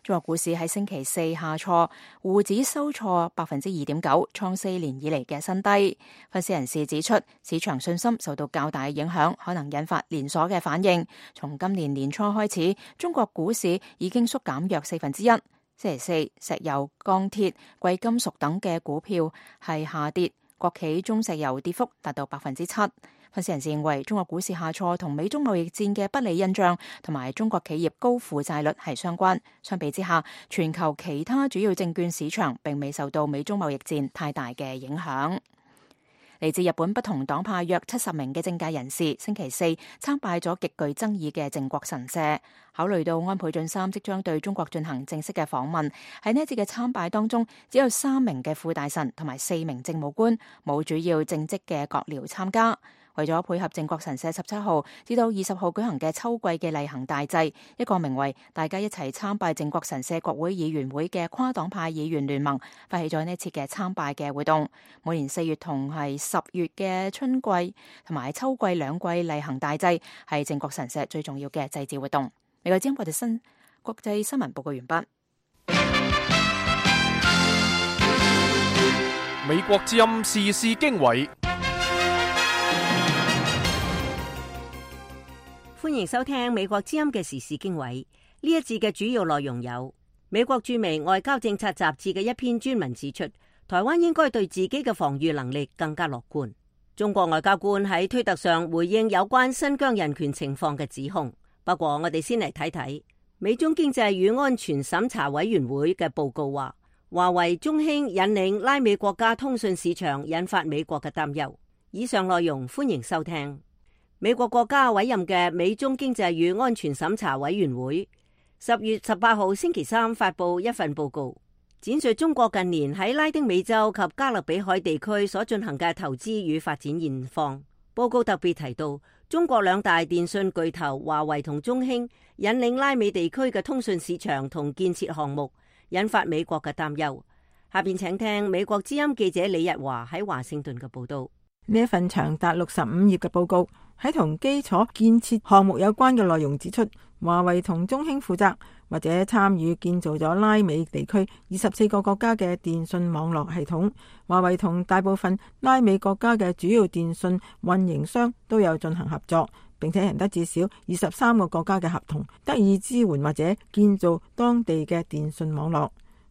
中國股市喺星期四下挫，滬指收挫2.9%，創4年以嚟嘅新低。分析人士指出，市場信心受到較大嘅影響，可能引發連鎖嘅反應。從今年年初開始，中國股市已經縮減約1/4。星期四，石油、鋼鐵、貴金屬等嘅股票係下跌，國企中石油跌幅達到7%。分析人士認為，中國股市下挫同美中貿易戰嘅不利印象同埋中國企業高負債率係相關。相比之下，全球其他主要證券市場並未受到美中貿易戰太大嘅影響。嚟自日本不同黨派約70名嘅政界人士，星期四參拜咗極具爭議嘅靖國神社。考慮到安倍晉三即將對中國進行正式嘅訪問，喺呢一次嘅參拜當中，只有3名嘅副大臣同埋4名政務官，冇主要正職嘅閣僚參加。為咗配合靖國神社17號至到20號舉行嘅秋季嘅例行大祭，一個名為大家一齊參拜靖國神社國會議員會嘅跨黨派議員聯盟發起咗呢次嘅參拜嘅活動。每年4月同係10月嘅春季同埋秋季兩季例行大祭係靖國神社最重要嘅祭祀活動。美國之音國際新聞報告完畢。美國之音時事經緯，歡迎收聽美國之音嘅時事經緯。呢一節嘅主要內容有：美國駐美外交政策雜誌嘅一篇專文指出，台灣應該對自己嘅防禦能力更加樂觀。中國外交官喺推特上回應有關新疆人權情況嘅指控。不過我哋先嚟睇睇美中經濟與安全審查委員會嘅報告話，華為、中興引領拉美國家通訊市場，引發美國嘅擔憂。以上內容歡迎收聽。美國國家委任嘅美中經濟與安全審查委員會10月18號星期三發布一份報告，展述中國近年喺拉丁美洲及加勒比海地區所進行嘅投資與發展現況。報告特別提到，中國兩大電信巨頭華為同中興引領拉美地區嘅通訊市場同建設項目，引發美國嘅擔憂。下邊請聽美國之音記者李日華喺華盛頓嘅報道。呢一份長達65頁嘅報告喺同基礎建設項目有關嘅內容指出，華為同中興負責或者參與建造咗拉美地區24個國家嘅電信網絡系統。華為同大部分拉美國家嘅主要電信運營商都有進行合作，並且贏得至少23個國家嘅合同，得以支援或者建造當地嘅電信網絡。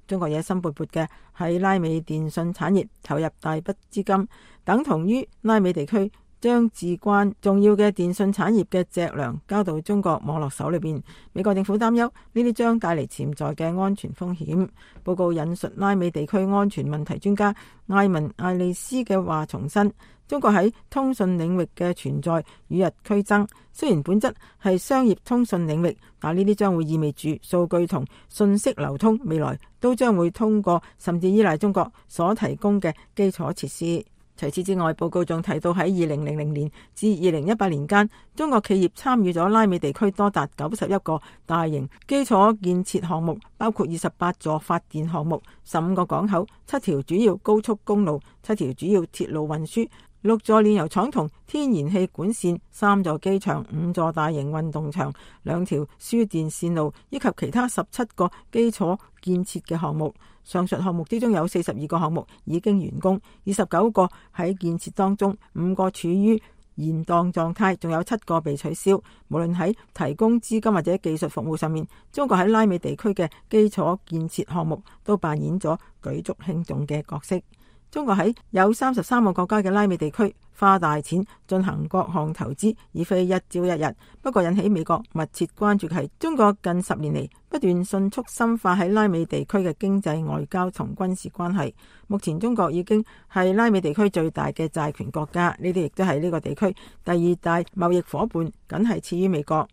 中國野心勃勃嘅喺拉美電信產業投入大筆資金，等同於拉美地區將至關重要嘅電信產業嘅脊梁交到中國網絡手裏邊。美國政府擔憂呢啲將帶嚟潛在嘅安全風險。報告引述拉美地區安全問題專家艾文艾利斯嘅話，重申中國喺通訊領域嘅存在與日俱增。雖然本質係商業通訊領域，但呢啲將會意味住數據同信息流通未來都將會通過甚至依賴中國所提供嘅基礎設施。除此之外，報告仲提到喺2000年至2018年間，中國企業參與咗拉美地區多達91個大型基礎建設項目，包括28座發電項目、15個港口、7條主要高速公路、7條主要鐵路運輸、6座煉油廠同天然氣管線、3座機場、5座大型運動場、2條輸電線路，以及其他17個基礎建設嘅項目。上述項目之中有42個項目已經完工，29個喺建設當中，5個處於延宕狀態，仲有7個被取消。無論喺提供資金或者技術服務上面，中國喺拉美地區嘅基礎建設項目都扮演咗舉足輕重嘅角色。中國喺有33個國家嘅拉美地區花大錢進行各項投資，而非一朝一日。不過引起美國密切關注嘅係中國近10年嚟不斷迅速深化喺拉美地區嘅經濟、外交同軍事關係。目前中國已經係拉美地區最大嘅債權國家，呢啲亦都係呢個地區第2大貿易夥伴，僅係次於美國。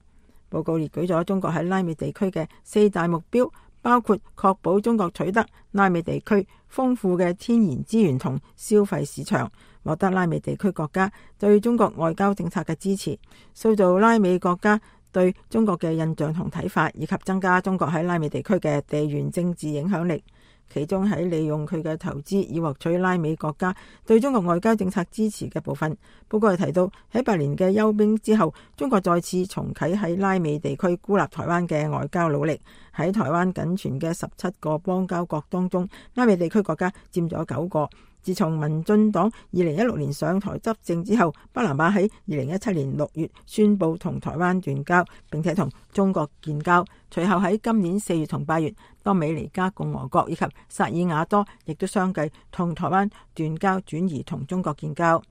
報告列舉咗中國喺拉美地區嘅4大目標，包括確保中國取得拉美地區豐富嘅天然資源同消費市場，獲得拉美地區國家對中國外交政策嘅支持，塑造拉美國家對中國嘅印象同睇法，以及增加中國喺拉美地區嘅地緣政治影響力。其中喺利用佢嘅投資以獲取拉美國家對中國外交政策支持嘅部分，報告係提到喺8年嘅休兵之後，中國再次重啟喺拉美地區孤立台灣嘅外交努力。喺台灣僅存嘅17個邦交國當中，拉美地區國家佔咗9個。自從民進黨2016年上台執政之後，巴拿馬喺2017年6月宣布同台灣斷交，並且同中國建交。隨後喺今年4月同8月，多美尼加共和國以及薩爾瓦多亦都相繼同台灣斷交，轉移同中國建交。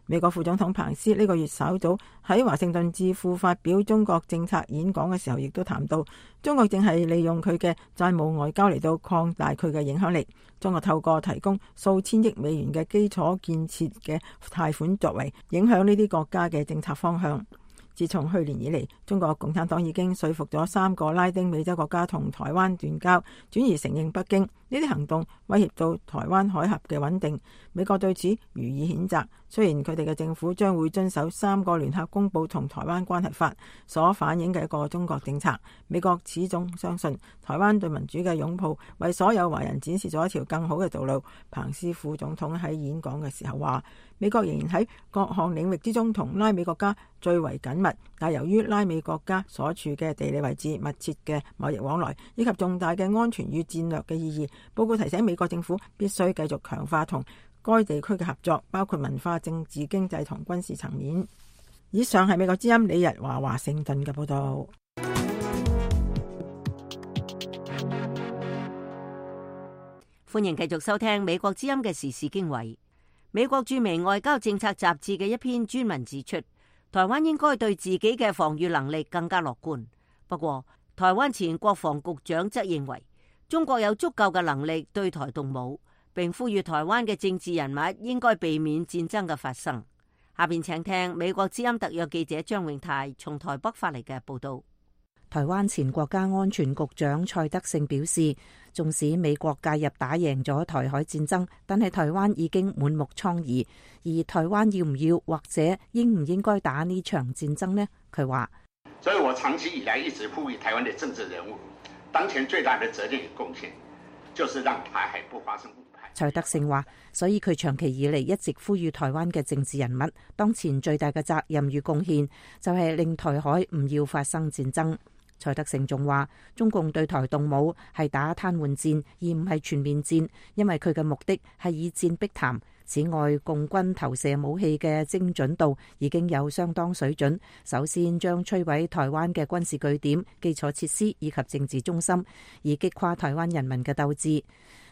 美國副總統彭斯呢個月稍早喺華盛頓智庫發表中國政策演講嘅時候，亦都談到中國正係利用佢嘅債務外交嚟到擴大佢嘅影響力。中國透過提供數千億美元嘅基礎建設嘅貸款，作為影響呢啲國家嘅政策方向。自從去年以嚟，中國共產黨已經說服咗3個拉丁美洲國家同台灣斷交，轉而承認北京。呢啲行動威脅到台灣海峽嘅穩定，美國對此予以譴責。雖然佢哋嘅政府將會遵守3個聯合公報同台灣關係法所反映嘅一個中國政策，美國始終相信台灣對民主嘅擁抱為所有華人展示咗一條更好嘅道路。彭斯副總統喺演講嘅時候話，美國仍然喺各項領域之中同拉美國家最為緊密，但由於拉美國家所處嘅地理位置、密切嘅貿易往來以及重大嘅安全與戰略嘅意義，報告提醒美國政府必須繼續強化同該地區嘅合作，包括文化、政治、經濟同軍事層面。以上係美國之音李日華華盛頓嘅報道。歡迎繼續收聽美國之音嘅時事經緯。美國著名外交政策雜誌嘅一篇專文指出，台灣應該對自己嘅防禦能力更加樂觀。不過，台灣前國防局長則認為，中國有足夠嘅能力對台動武，並呼籲台灣嘅政治人物應該避免戰爭嘅發生。下邊請聽美國之音特約記者張永泰從台北發嚟嘅報道。台灣前國家安全局長蔡德勝表示，縱使美國介入打贏咗台海戰爭，但係台灣已經滿目瘡痍，而台灣要唔要或者應唔應該打呢場戰爭呢？佢話：所以我長期以來一直呼籲台灣的政治人物，當前最大的責任與貢獻，就是讓台海不發生誤判。蔡德勝話，所以佢長期以嚟一直呼籲台灣嘅政治人物，當前最大嘅責任與貢獻，就係令台海唔要發生戰爭。蔡德勝仲話，中共對台動武係打癱瘓戰，而唔係全面戰，因為佢嘅目的係以戰逼談。此外，共軍投射武器嘅精準度已經有相當水準，首先將摧毀台灣嘅軍事據點、基礎設施以及政治中心，以擊垮台灣人民嘅鬥志。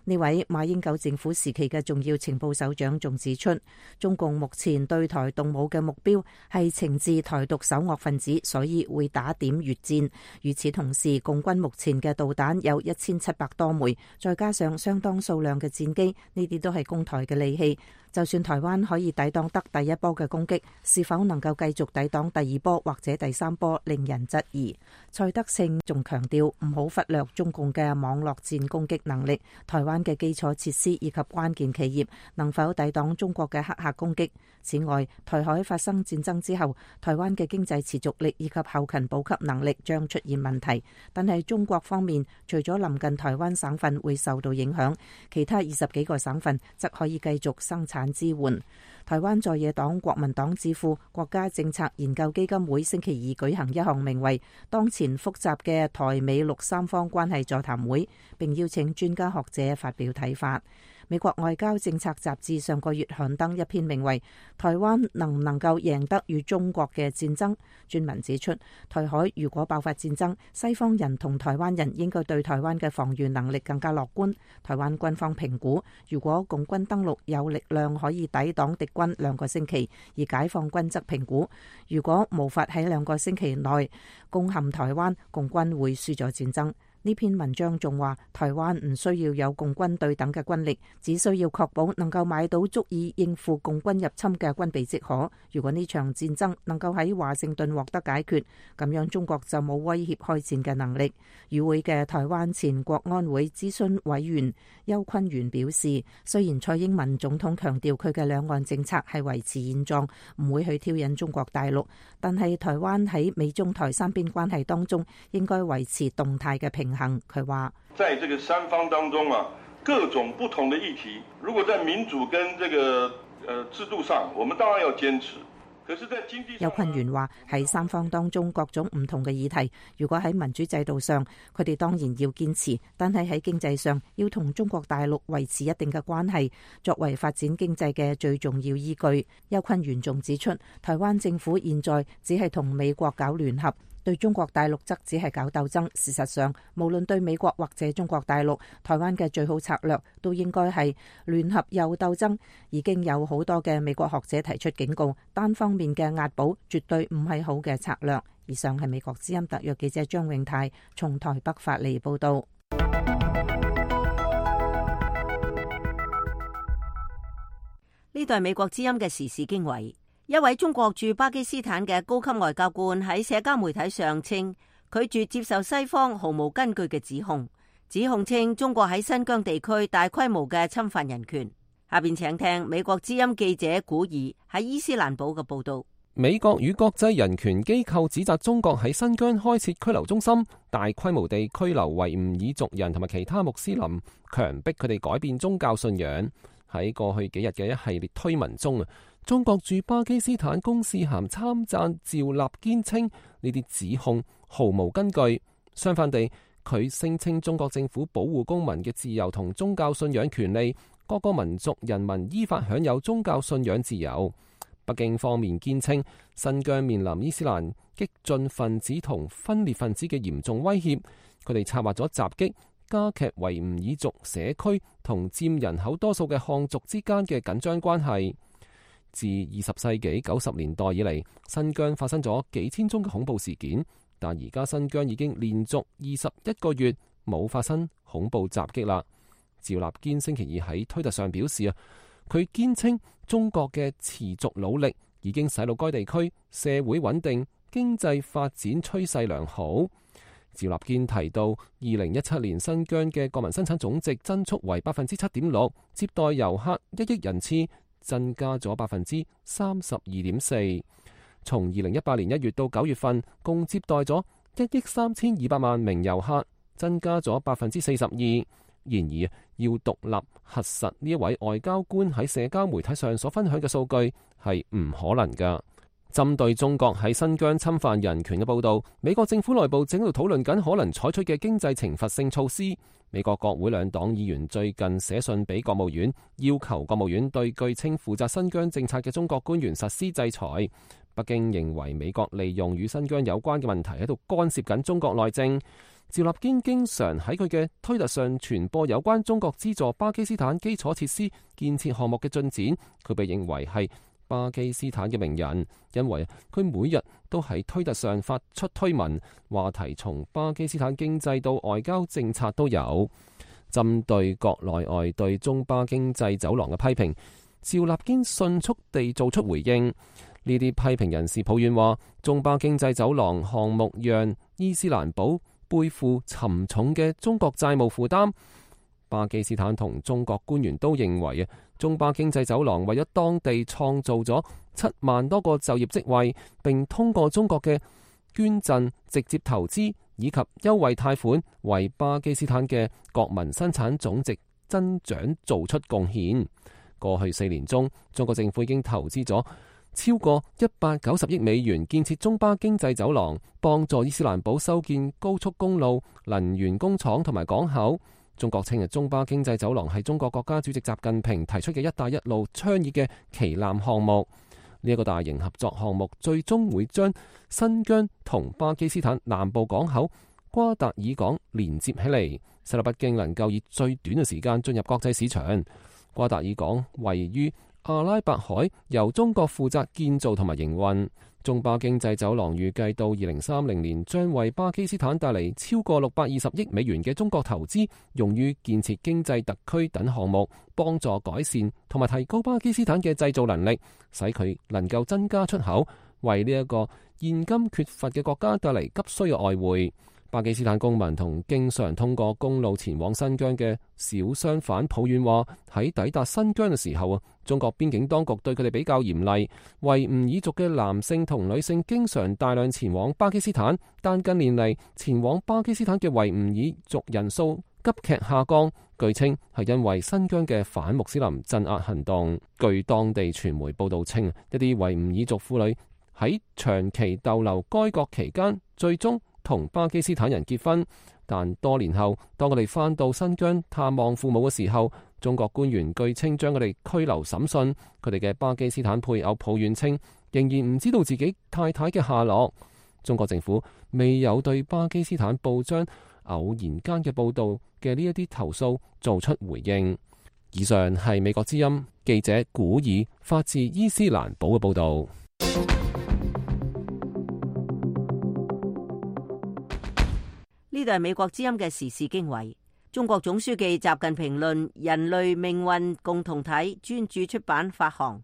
呢位馬英九政府時期嘅重要情報首長仲指出，中共目前對台動武嘅目標係懲治台獨首惡分子，所以會打點越戰。與此同時，共軍目前嘅導彈有1700多枚，再加上相當數量嘅戰機，呢啲都係攻台嘅利器。就算台灣可以抵擋得第一波嘅攻擊，是否能夠繼續抵擋第二波或者第3波，令人質疑。蔡德勝仲強調，唔好忽略中共嘅網絡戰攻擊能力，台灣嘅基礎設施以及關鍵企業能否抵擋中國嘅黑客攻擊。此外，台海發生戰爭之後，台灣嘅經濟持續力以及後勤補給能力將出現問題。但係中國方面，除咗臨近台灣省份會受到影響，其他20幾個省份則可以繼續生產支援。台灣在野黨國民黨智庫國家政策研究基金會星期二舉行一項名為《當前複雜嘅台美陸三方關係座談會》，並邀請專家學者發表睇法。美國外交政策雜誌上個月刊登一篇名為《台灣能唔能夠贏得與中國嘅戰爭》專文指出，台海如果爆發戰爭，西方人同台灣人應該對台灣嘅防禦能力更加樂觀。台灣軍方評估，如果共軍登陸有力量可以抵擋敵軍2個星期，而解放軍則評估，如果無法喺2個星期內攻陷台灣，共軍會輸咗戰爭。呢篇文章仲話，台灣唔需要有共軍對等嘅軍力，只需要確保能夠買到足以應付共軍入侵嘅軍備即可。如果呢場戰爭能夠喺華盛頓獲得解決，咁樣中國就冇威脅開戰嘅能力。與會嘅台灣前國安會諮詢委員邱坤元表示，雖然蔡英文總統強調佢嘅兩岸政策係維持現狀，唔會去挑釁中國大陸，但係台灣喺美中台三邊關係當中應該維持動態嘅平衡。佢話，在這個三方當中啊，各種不同的議題，如果在民主跟這個制度上，我們當然要堅持。可是在經濟上，邱坤元話喺三方當中各種唔同嘅議題，如果喺民主制度上，佢哋當然要堅持，但係喺經濟上要同中國大陸維持一定嘅關係，作為發展經濟嘅最重要依據。邱坤元仲指出，台灣政府現在只係同美國搞聯合，對中國大陸則只係搞鬥爭。事實上，無論對美國或者中國大陸，台灣嘅最好策略都應該係聯合又鬥爭。已經有好多嘅美國學者提出警告，單方面嘅押寶絕對唔係好嘅策略。以上係美國之音特約記者張永泰從台北發嚟報道。呢度係美國之音嘅時事經緯。一位中國駐巴基斯坦嘅高級外交官喺社交媒體上稱，拒絕接受西方毫無根據嘅指控稱中國喺新疆地區大規模嘅侵犯人權。下邊請聽美國之音記者古爾喺伊斯蘭堡嘅報道。美國與國際人權機構指責中國喺新疆開設拘留中心，大規模地拘留維吾爾族人同埋其他穆斯林，強迫佢哋改變宗教信仰。喺過去幾日嘅一系列推文中，中國駐巴基斯坦公使函參贊趙立堅稱呢啲指控毫無根據。相反地，佢聲稱中國政府保護公民嘅自由同宗教信仰權利，各個民族人民依法享有宗教信仰自由。北京方面堅稱，新疆面臨伊斯蘭激進分子同分裂分子嘅嚴重威脅，佢哋策劃咗襲擊，加劇維吾爾族社區同佔人口多數嘅漢族之間嘅緊張關係。自20世紀90年代以嚟，新疆發生咗幾千宗嘅恐怖事件，但而家新疆已經連續21個月冇發生恐怖襲擊啦。趙立堅星期二喺推特上表示佢堅稱中國嘅持續努力已經使到該地區社會穩定、經濟發展趨勢良好。趙立堅提到，2017年新疆嘅國民生產總值增速為 7.6%， 接待遊客1億人次，增加咗 32.4%。從2018年1月到9月份，共接待咗1億3200萬名遊客，增加咗 42%。然而，要獨立核實呢一位外交官喺社交媒體上所分享嘅數據係唔可能㗎。針對中國喺新疆侵犯人權嘅報導，美國政府內部正喺度討論緊可能採取嘅經濟懲罰性措施。美國國會兩黨議員最近寫信俾國務院，要求國務院對據稱負責新疆政策嘅中國官員實施制裁。北京認為美國利用與新疆有關嘅問題喺度干涉緊中國內政。趙立堅經常喺佢嘅推特上傳播有關中國資助巴基斯坦基礎設施建設項目嘅進展，佢被認為係巴基斯坦嘅名人，因為佢每日都喺推特上發出推文，話題從巴基斯坦經濟到外交政策都有。針對國內外對中巴經濟走廊嘅批評，趙立堅迅速地做出回應。呢啲批評人士抱怨話，中巴經濟走廊項目讓伊斯蘭堡背負沉重嘅中國債務負擔。巴基斯坦同中國官員都認為中巴經濟走廊為咗當地創造咗7萬多個就業職位，並通過中國嘅捐贈、直接投資以及優惠貸款，為巴基斯坦嘅國民生產總值增長做出貢獻。過去4年中，中國政府已經投資咗超過190億美元建設中巴經濟走廊，幫助伊斯蘭堡修建高速公路、能源工廠同埋港口。中國稱中巴經濟走廊係中國國家主席習近平提出嘅一帶一路倡議嘅旗艦項目。呢一個大型合作項目最終會將新疆同巴基斯坦南部港口瓜達爾港連接起嚟，使到北京能夠以最短嘅時間進入國際市場。瓜達爾港位於阿拉伯海，由中國負責建造同埋營運。中巴經濟走廊預計到2030年將為巴基斯坦帶嚟超過620億美元嘅中國投資，用於建設經濟特區等項目，幫助改善同埋提高巴基斯坦嘅製造能力，使佢能夠增加出口，為呢一個現今缺乏嘅國家帶嚟急需嘅外匯。巴基斯坦公民同經常通過公路前往新疆嘅小商販抱怨話，喺抵達新疆嘅時候中國邊境當局對佢哋比較嚴厲。維吾爾族嘅男性同女性經常大量前往巴基斯坦，但近年嚟前往巴基斯坦嘅維吾爾族人數急劇下降，據稱係因為新疆嘅反穆斯林鎮壓行動。據當地傳媒報道稱，一啲維吾爾族婦女喺長期逗留該國期間，最終同巴基斯坦人結婚，但多年後當佢哋返到新疆探望父母嘅時候，中國官員據稱將佢哋拘留審訊。佢哋嘅巴基斯坦配偶抱怨稱，仍然唔知道自己太太嘅下落。中國政府未有對巴基斯坦報章偶然間嘅報道嘅呢一啲投訴做出回應。以上係美國之音記者古爾發自伊斯蘭堡嘅報道。呢度係美國之音嘅時事經緯。中國總書記習近平論人類命運共同體專著出版發行。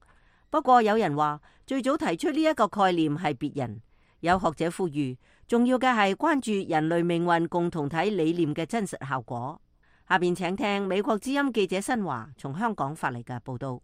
不過有人話，最早提出呢一個概念係別人。有學者呼籲，重要嘅係關注人類命運共同體理念嘅真實效果。下邊請聽美國之音記者新華從香港發嚟嘅報道。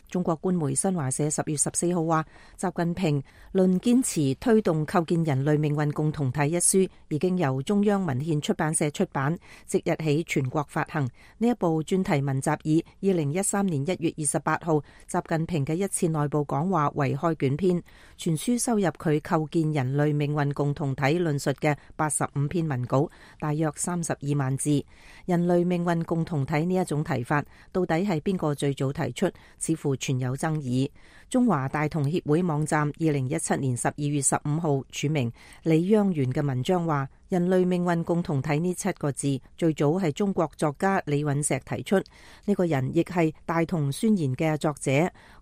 中國官媒新華社10月14號話，習近平論堅持推動構建人類命運共同體一書已經由中央文獻出版社出版，即日起全國發行。呢一部專題文集以2013年1月28號習近平嘅一次內部講話為開卷篇，全書收入佢構建人類命運共同體論述嘅85篇文稿，大約32萬字。人類命運共同體呢一種提法，到底係邊個最早提出？似乎存有爭議。中華大同協會網站2017年12月15號署名李央元嘅文章話，人類命運共同體呢7個字最早係中國作家李允石提出，呢個人亦係大同宣言嘅作者。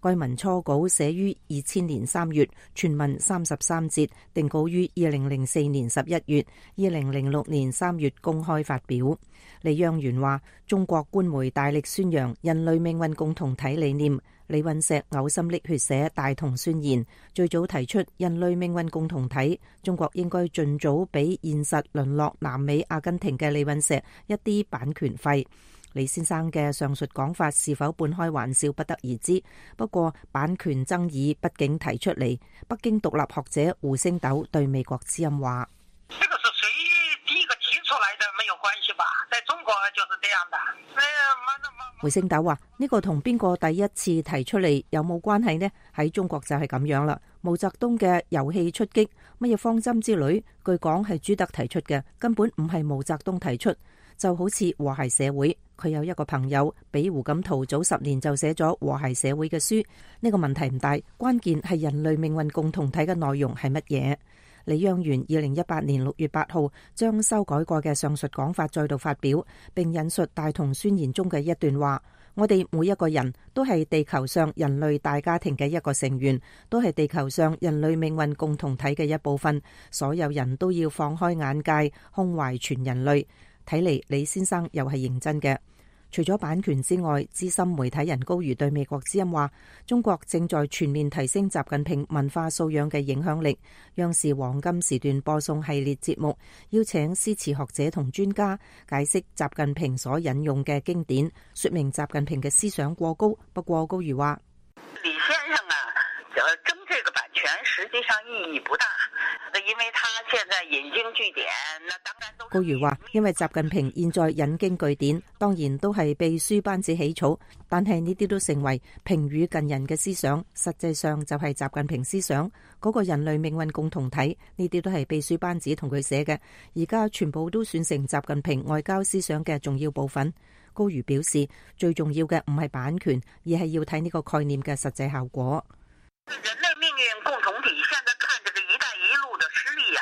該文初稿寫於2000年3月，全文33節，定稿於2004年11月，2006年3月公開發表。李央元話，中國官媒大力宣揚人類命運共同體理念，李允石嘔心瀝血寫《大同宣言》，最早提出人類命運共同體，中國應該盡早俾現實淪落南美阿根廷嘅李允石一啲版權費。李先生嘅上述講法是否半開玩笑，不得而知。不過版權爭議畢竟提出嚟，北京獨立學者胡星斗對美國之音話：胡星斗話：呢個同邊個第一次提出嚟有冇關係呢？喺中國就係咁樣啦。毛澤東嘅遊戲出擊、乜嘢方針之類，據講係朱德提出嘅，根本唔係毛澤東提出。就好似和諧社會，佢有一個朋友比胡錦濤早10年就寫咗和諧社會嘅書。呢個問題唔大，關鍵係人類命運共同體嘅內容係乜嘢。李央元2018年6月8號將修改過嘅上述講法再度發表，並引述大同宣言中嘅一段話：我哋每一個人都係地球上人類大家庭嘅一個成員，都係地球上人類命運共同體嘅一部分。所有人都要放開眼界，胸懷全人類。睇嚟李先生又係認真嘅。除咗版權之外，資深媒體人高瑜對美國之音話，中國正在全面提升習近平文化素養嘅影響力。央視黃金時段播送系列節目，邀請詩詞學者同專家解釋習近平所引用嘅經典，說明習近平嘅思想過高。不過高瑜話，李先生啊，爭這個版權實際上意義不大，因為他現在引經據典，那當然都。高瑜話，因為習近平現在引經據典，當然都係秘書班子起草，但係呢啲都成為平語近人嘅思想，實際上就係習近平思想嗰個人類命運共同體，呢啲都係秘書班子同佢寫嘅，而家全部都算成習近平外交思想嘅重要部分。高瑜表示，最重要嘅唔係版權，而係要睇呢個概念嘅實際效果。人類命運共同體現在看這個一帶一路的實力啊，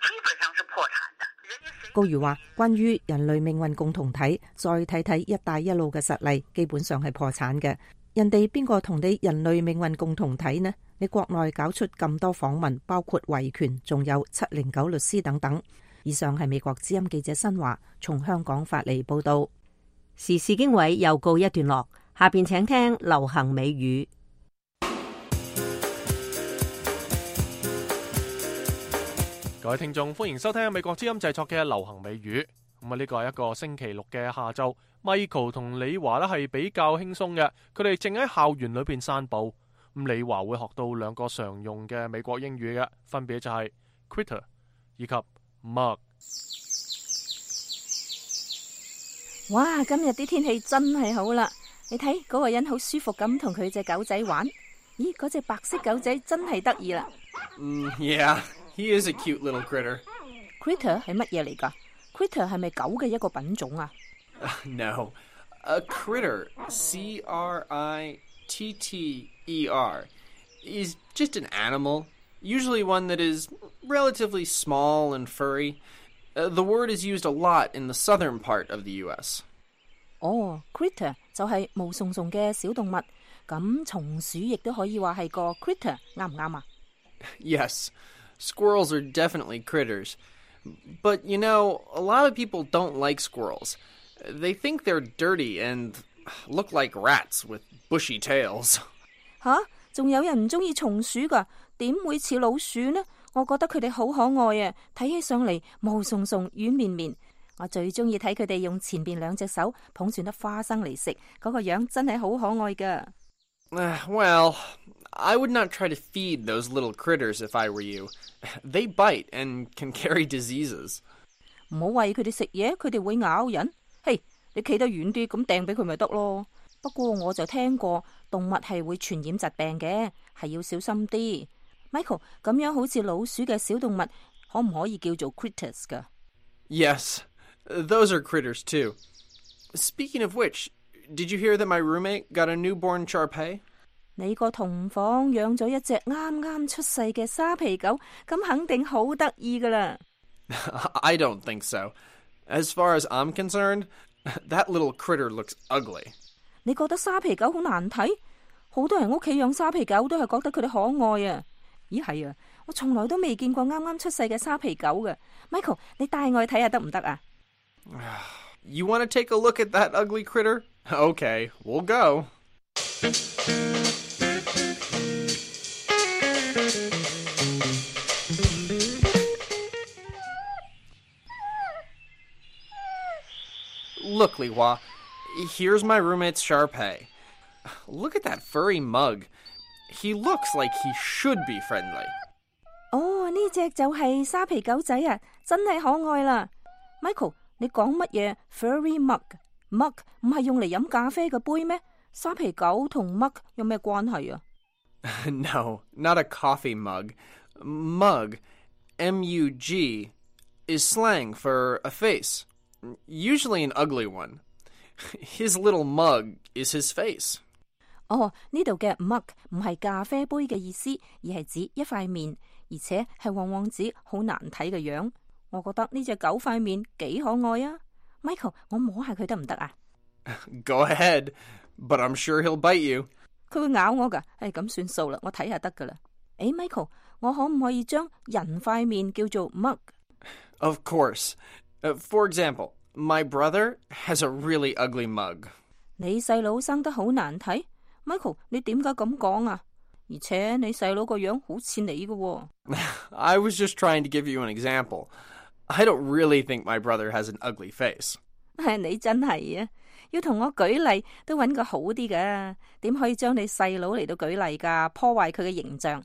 基本上是破產的。高瑜話，關於人類命運共同體，再睇睇一帶一路嘅實例，基本上係破產嘅。人哋邊個同你人類命運共同體呢？你國內搞出咁多訪問，包括維權，仲有709律師等等。以上係美國之音記者新華從香港發嚟報道。時事經緯又告一段落，下邊請聽流行美語。各位聽眾，歡迎收聽美國之音製作嘅流行美語。呢個係一個星期六嘅下晝，Michael 同李華呢係比較輕鬆嘅，佢哋正喺校園裏邊散步。李華會學到2個常用嘅美國英語嘅，分別就係 critter 以及 mug。哇！今日啲天氣真係好啦，你睇嗰個人好舒服咁同佢隻狗仔玩。咦，嗰隻白色狗仔真係得意啦。Yeah.He is a cute little critter. Critter 係乜嘢嚟㗎？ Critter 係咪狗嘅一個品種啊？No. A critter, C-R-I-T-T-E-R, is just an animal, usually one that is relatively small and furry. The word is used a lot in the southern part of the U.S. Critter 就係毛鬆鬆嘅小動物，咁松鼠亦都可以話係個 critter， 啱唔啱啊？ Yes.Squirrels are definitely critters. But, you know, a lot of people don't like squirrels. They think they're dirty and look like rats with bushy tails. 吓？仲有人唔中意松鼠噶，點會似老鼠呢？我覺得佢哋好可愛啊，睇起上嚟毛鬆鬆、軟綿綿。我最中意睇佢哋用前邊兩隻手捧住粒花生嚟食，嗰個樣真係好可愛噶。Well, I would not try to feed those little critters if I were you. They bite and can carry diseases. 唔好餵佢哋食嘢，佢哋會咬人。嘿，你企得遠啲，咁掟俾佢咪得咯。不過我就聽過動物係會傳染疾病嘅，係要小心啲。Michael， 咁樣好似老鼠嘅小動物，可唔可以叫做 critters 噶？ Yes, those are critters too. Speaking of which, did you hear that my roommate got a newborn Shar-Pei? 你個同房養咗一隻啱啱出世嘅沙皮狗，咁肯定好得意噶啦。I don't think so. As far as I'm concerned, that little critter looks ugly. 你覺得沙皮狗好難睇？好多人屋企養沙皮狗都係覺得佢哋可愛啊。咦係啊，我從來都未見過啱啱出世嘅沙皮狗嘅。Michael， 你帶我去睇下得唔得啊？ You want to take a look at that ugly critter? Okay, we'll go. Look, Li Hua, here's my roommate's Shar-Pei. Look at that furry mug. He looks like he should be friendly. 哦，呢隻就係沙皮狗仔啊，真係可愛啦。Michael， 你講乜嘢 furry mug？mug 唔係用嚟飲咖啡嘅杯咩？沙皮狗同 mug 有咩關係啊？ No, not a coffee mug. Mug, M-U-G, is slang for a face. Usually an ugly one. His little mug is his face. 哦，呢度嘅 mug 唔係咖啡杯嘅意思，而係指一塊面，而且係往往指好難睇嘅樣。我覺得呢隻狗塊面幾可愛啊。Michael， 我摸下佢得唔得啊？ Go ahead, but I'm sure he'll bite you. 佢會咬我㗎，咁算數啦，我睇下得㗎啦。Michael， 我可唔可以將人塊面叫做 mug？ Of course. For example, my brother has a really ugly mug. 你細佬生得好難睇 ，Michael， 你點解咁講啊？而且你細佬個樣好似你嘅喎。I was just trying to give you an example. I don't really think my brother has an ugly face. 你真係啊！要同我舉例都揾個好啲㗎，點可以將你細佬嚟到舉例㗎？破壞佢嘅形象。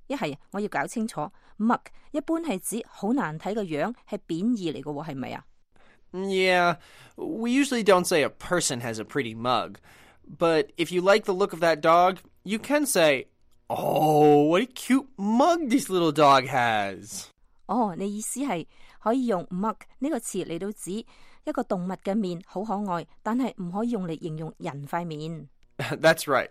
一係我要搞清楚 ，mug 一般係指好難睇嘅樣，係貶義嚟嘅喎，係咪啊？ Yeah, we usually don't say a person has a pretty mug, but if you like the look of that dog, you can say, "Oh, what a cute mug this little dog has." 哦，你意思係可以用 mug 呢個詞嚟到指一個動物嘅面好可愛，但係唔可以用嚟形容人塊面。That's right.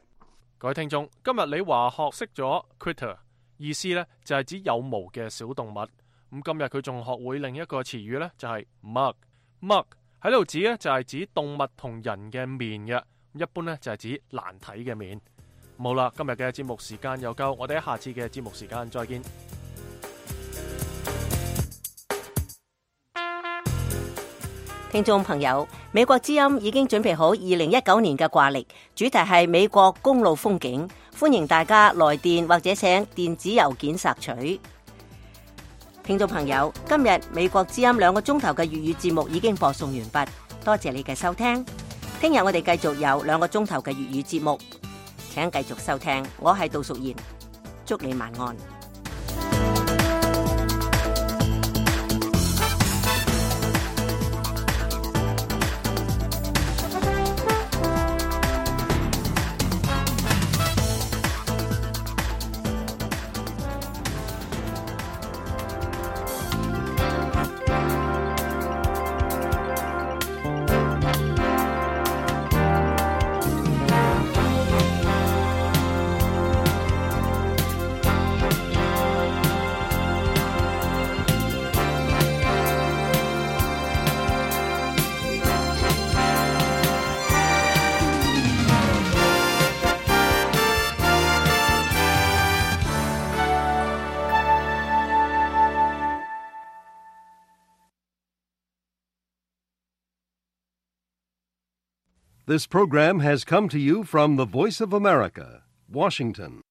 各位聽眾，今日你話學識咗 critter， 意思呢就係指有毛嘅小動物。咁今日佢仲學會另一個詞語呢，就係 mug。mug 喺度指呢就係指動物同人嘅面嘅，一般呢就係指難睇嘅面。好啦，今日嘅節目時間又夠，我哋喺下次嘅節目時間再見。聽眾朋友，美國之音已經準備好2019年嘅掛曆，主題係美國公路風景，歡迎大家來電或者請電子郵件索取。聽眾朋友，今日美國之音2個鐘頭嘅粵語節目已經播送完畢，多謝你嘅收聽。聽日我哋繼續有2個鐘頭嘅粵語節目，請繼續收聽。我係杜淑賢，祝你晚安。This program has come to you from the Voice of America, Washington.